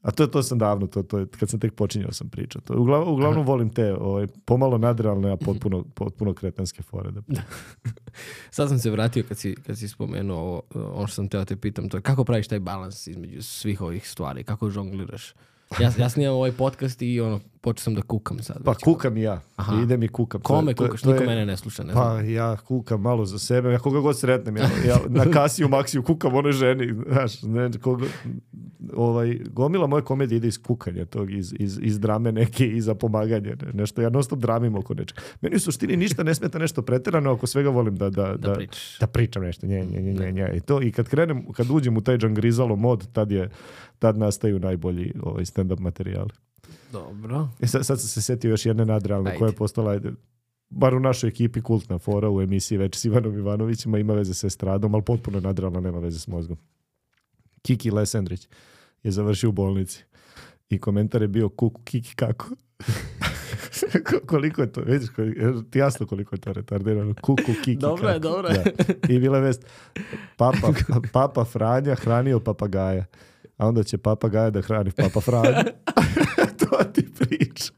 A to, to sam davno, to, to je, kad sam tek počinjao sam pričao. To, uglavnom uglavnom volim te ovaj, pomalo nadrealne, a potpuno, potpuno kretenske fore. Da. Sad sam se vratio kad si, kad si spomenuo ovo, ono što sam teo te pitam, to je kako praviš taj balans između svih ovih stvari, kako žongliraš? Ja, ja snimam ovaj podcast i ono, počeo sam da kukam sad. Pa već. kukam i ja. Aha. Idem i kukam. Kome To je- kukaš? to je- Niko mene ne sluša, ne Pa znam. ja kukam malo za sebe, ja koga god sretnem, ja, ja na kasiju, maksiju kukam onoj ženi, znaš, ne, koga, ovaj, gomila moje komedije ide iz kukanja tog, iz, iz, iz drame neke i za pomaganje, ne, nešto, ja non stop dramim oko nečega. Meni u suštini ništa ne smeta nešto preterano, ako svega volim da, da, Da pričaš. da pričam nešto, nje, nje, nje, nje, nje. I, to, i kad krenem, kad uđem u taj džangrizalo mod, tad, je, tad nastaju najbolji ovaj, stand-up materijali. Dobro. E sad, sad sam se setio još jedne nadrealne Ajde. koja je postala, ajde, bar u našoj ekipi kultna fora u emisiji Večer s Ivanom Ivanovićem, ima veze sa estradom, ali potpuno nadrealno, nema veze s mozgom. Kiki Lesendrić je završio u bolnici i komentar je bio kuku, Kiki, kako? Koliko je to, vidiš, ti jasno koliko je to retardirano, kuku, Kiki, dobro je, dobro je. Da. I bila vest, papa, papa Franja hranio papagaja, a onda će papagaja da hrani papa Franja. To ti pričam.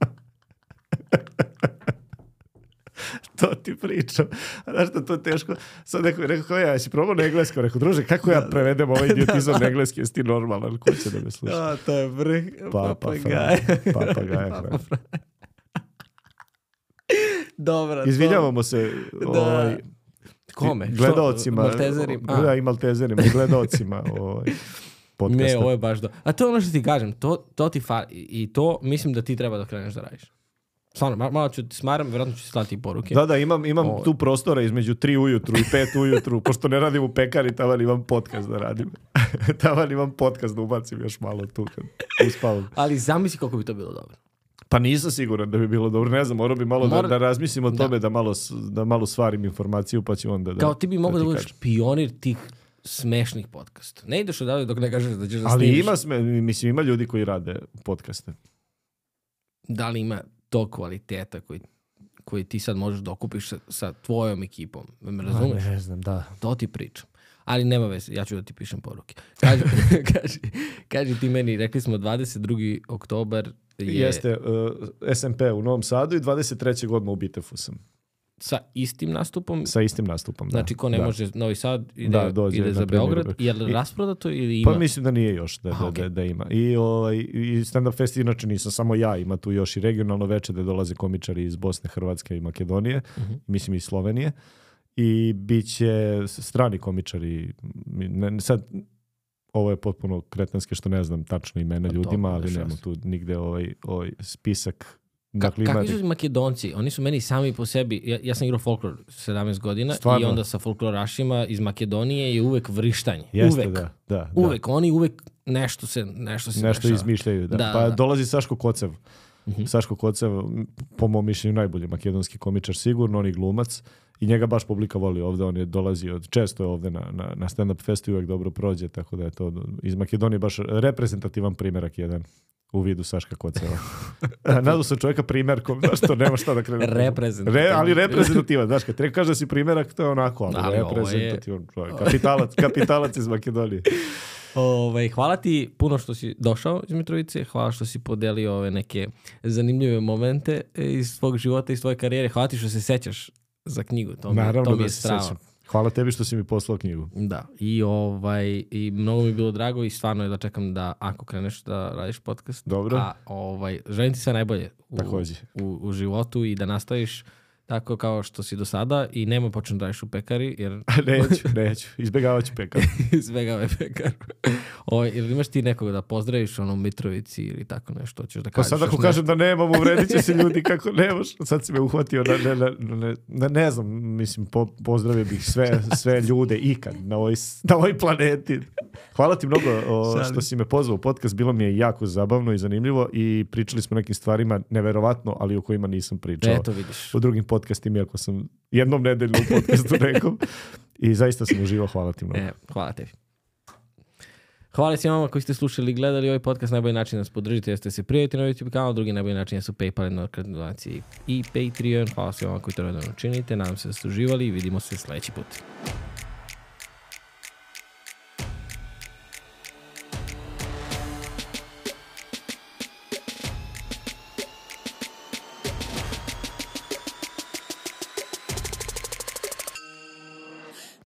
To ti pričam. A znaš što to je teško? Sad neko je rekao, ja, jesi probao na englesko? Rekao, druže, kako ja prevedem ovaj idiotizam na engleski? Jesi ti normalan? Ko će da me sluša? A, to je vrh. Papa Franja. Papagaja hrani. Dobro. Izvinjavamo se ovaj, kome? Gledaocima. Maltezerima? Da, i Maltezerima. I gledaocima ovaj, podcasta. Ne, ovo je baš do... A to je ono što ti kažem. To, to ti fa... I to mislim da ti treba da kreneš da radiš. Stvarno, malo ću ti smaram, vjerojatno ću ti slati poruke. Da, da, imam, imam Ovo. tu prostora između tri ujutru i pet ujutru, pošto ne radim u pekari, tavan imam podcast da radim. Tavan imam podcast da ubacim još malo tu kad uspavam. Ali zamisli koliko bi to bilo dobro. Pa nisam siguran da bi bilo dobro, ne znam, morao bi malo Mora... da, da razmislim o da. tome da malo, da malo stvarim informaciju, pa ću onda da... Kao ti bi mogao da, ti budeš kažem. pionir tih smešnih podcasta. Ne ideš odavde dok ne kažeš da ćeš da Ali snimiš. ima, sme, mislim, ima ljudi koji rade podcaste. Da li ima to kvaliteta koji, koji ti sad možeš da okupiš sa, sa tvojom ekipom? Me razumeš? Ne znam, da. To ti pričam. Ali nema veze, ja ću da ti pišem poruke. Kaži, kaži, kaži ti meni, rekli smo dvadeset drugi oktobar je... Jeste uh, S M P u Novom Sadu i dvadeset trećeg odmah u Bitefu sam. Sa istim nastupom? Sa istim nastupom, Znači, da. ko ne da. može Novi Sad, ide, Da, dođe, ide za na primjer, Beograd. Je li I- rasprodato ili ima? Pa mislim da nije još da, Aha, da, okej. da, da ima. I, ovaj, i stand-up fest inače nisam samo ja, ima tu još i regionalno veče da dolaze komičari iz Bosne, Hrvatske i Makedonije, Mhm. mislim i Slovenije. I bit će strani komičari. Ne, sad, ovo je potpuno kretanske što ne znam tačno imena Pa ljudima, dobro, ali šta nema si. tu nigde ovaj, ovaj spisak. Ka, Dakle, ima- kakvi su Makedonci? Oni su meni sami po sebi, ja, ja sam igrao folklor sedamnaest godina Stvarno? i onda sa folklorašima iz Makedonije je uvek vrištanje. Jeste, uvek. da, da, da. Uvek. Oni uvek nešto se, nešto se Nešto dešava. izmišljaju. Da. Da, pa da, da. dolazi Saško Kocev. Mhm. Saško Kocev, po mom mišljenju, najbolji makedonski komičar, sigurno, on je glumac. I njega baš publika voli ovde, on je dolazio, često je ovde na, na, na stand-up festu i uvek dobro prođe, tako da je to iz Makedonije baš reprezentativan primjerak jedan u vidu Saška Koceva. Nadao sam čovjeka primjerkom, znaš to, nema šta da krene. Reprezentativan. Re, ali reprezentativan, znaš, kad treba kaže da si primjerak, to je onako, ali, Ali ovo je- reprezentativan čovjek. Kapitalac, kapitalac iz Makedonije. Ovaj, hvala ti puno što si došao iz Mitrovice, hvala što si podelio ove neke zanimljive momente iz svog života i iz tvoje karijere. Hvala ti što se sećaš za knjigu, to mi, Naravno to mi je da se strava. sećam. Hvala tebi što si mi poslao knjigu. Da, i ovaj i mnogo mi je bilo drago i stvarno je da čekam da ako kreneš da radiš podcast. Dobro. A ovaj želim ti sve najbolje u, Takođe. u, u životu i da nastaviš tako kao što si do sada i nemoj početi da radiš u pekari jer Neću, neću. Izbjegavat ću pekar. izbjegava je pekar. Ovaj, ili imaš ti nekog da pozdraviš ono u Mitrovici ili tako nešto, hoćeš da Pa kažeš. sad ako još kažem da nemam, uvredit će se ljudi kako nemaš. Sad si me uhvatio, na, ne, ne, ne, ne, ne znam, mislim, po, pozdravio bih sve, sve ljude ikad na ovoj, na ovoj planeti. Hvala ti mnogo o, Šalim. što si me pozvao u podcast, bilo mi je jako zabavno i zanimljivo i pričali smo o nekim stvarima neverovatno, ali o kojima nisam pričao. Eto vidiš. U drugim podcastima, iako sam jednom nedeljno u podcastu nekom. I zaista sam uživao, hvala ti mnogo. E, hvala tebi. Hvala svima vama koji ste slušali i gledali ovaj podcast. Najbolji način da nas podržite jeste se prijaviti na YouTube kanal, drugi najbolji način je su PayPal, jednokratne donacije i Patreon. Hvala svima vama koji to redovno činite. Nadam se da ste uživali i vidimo se sljedeći put.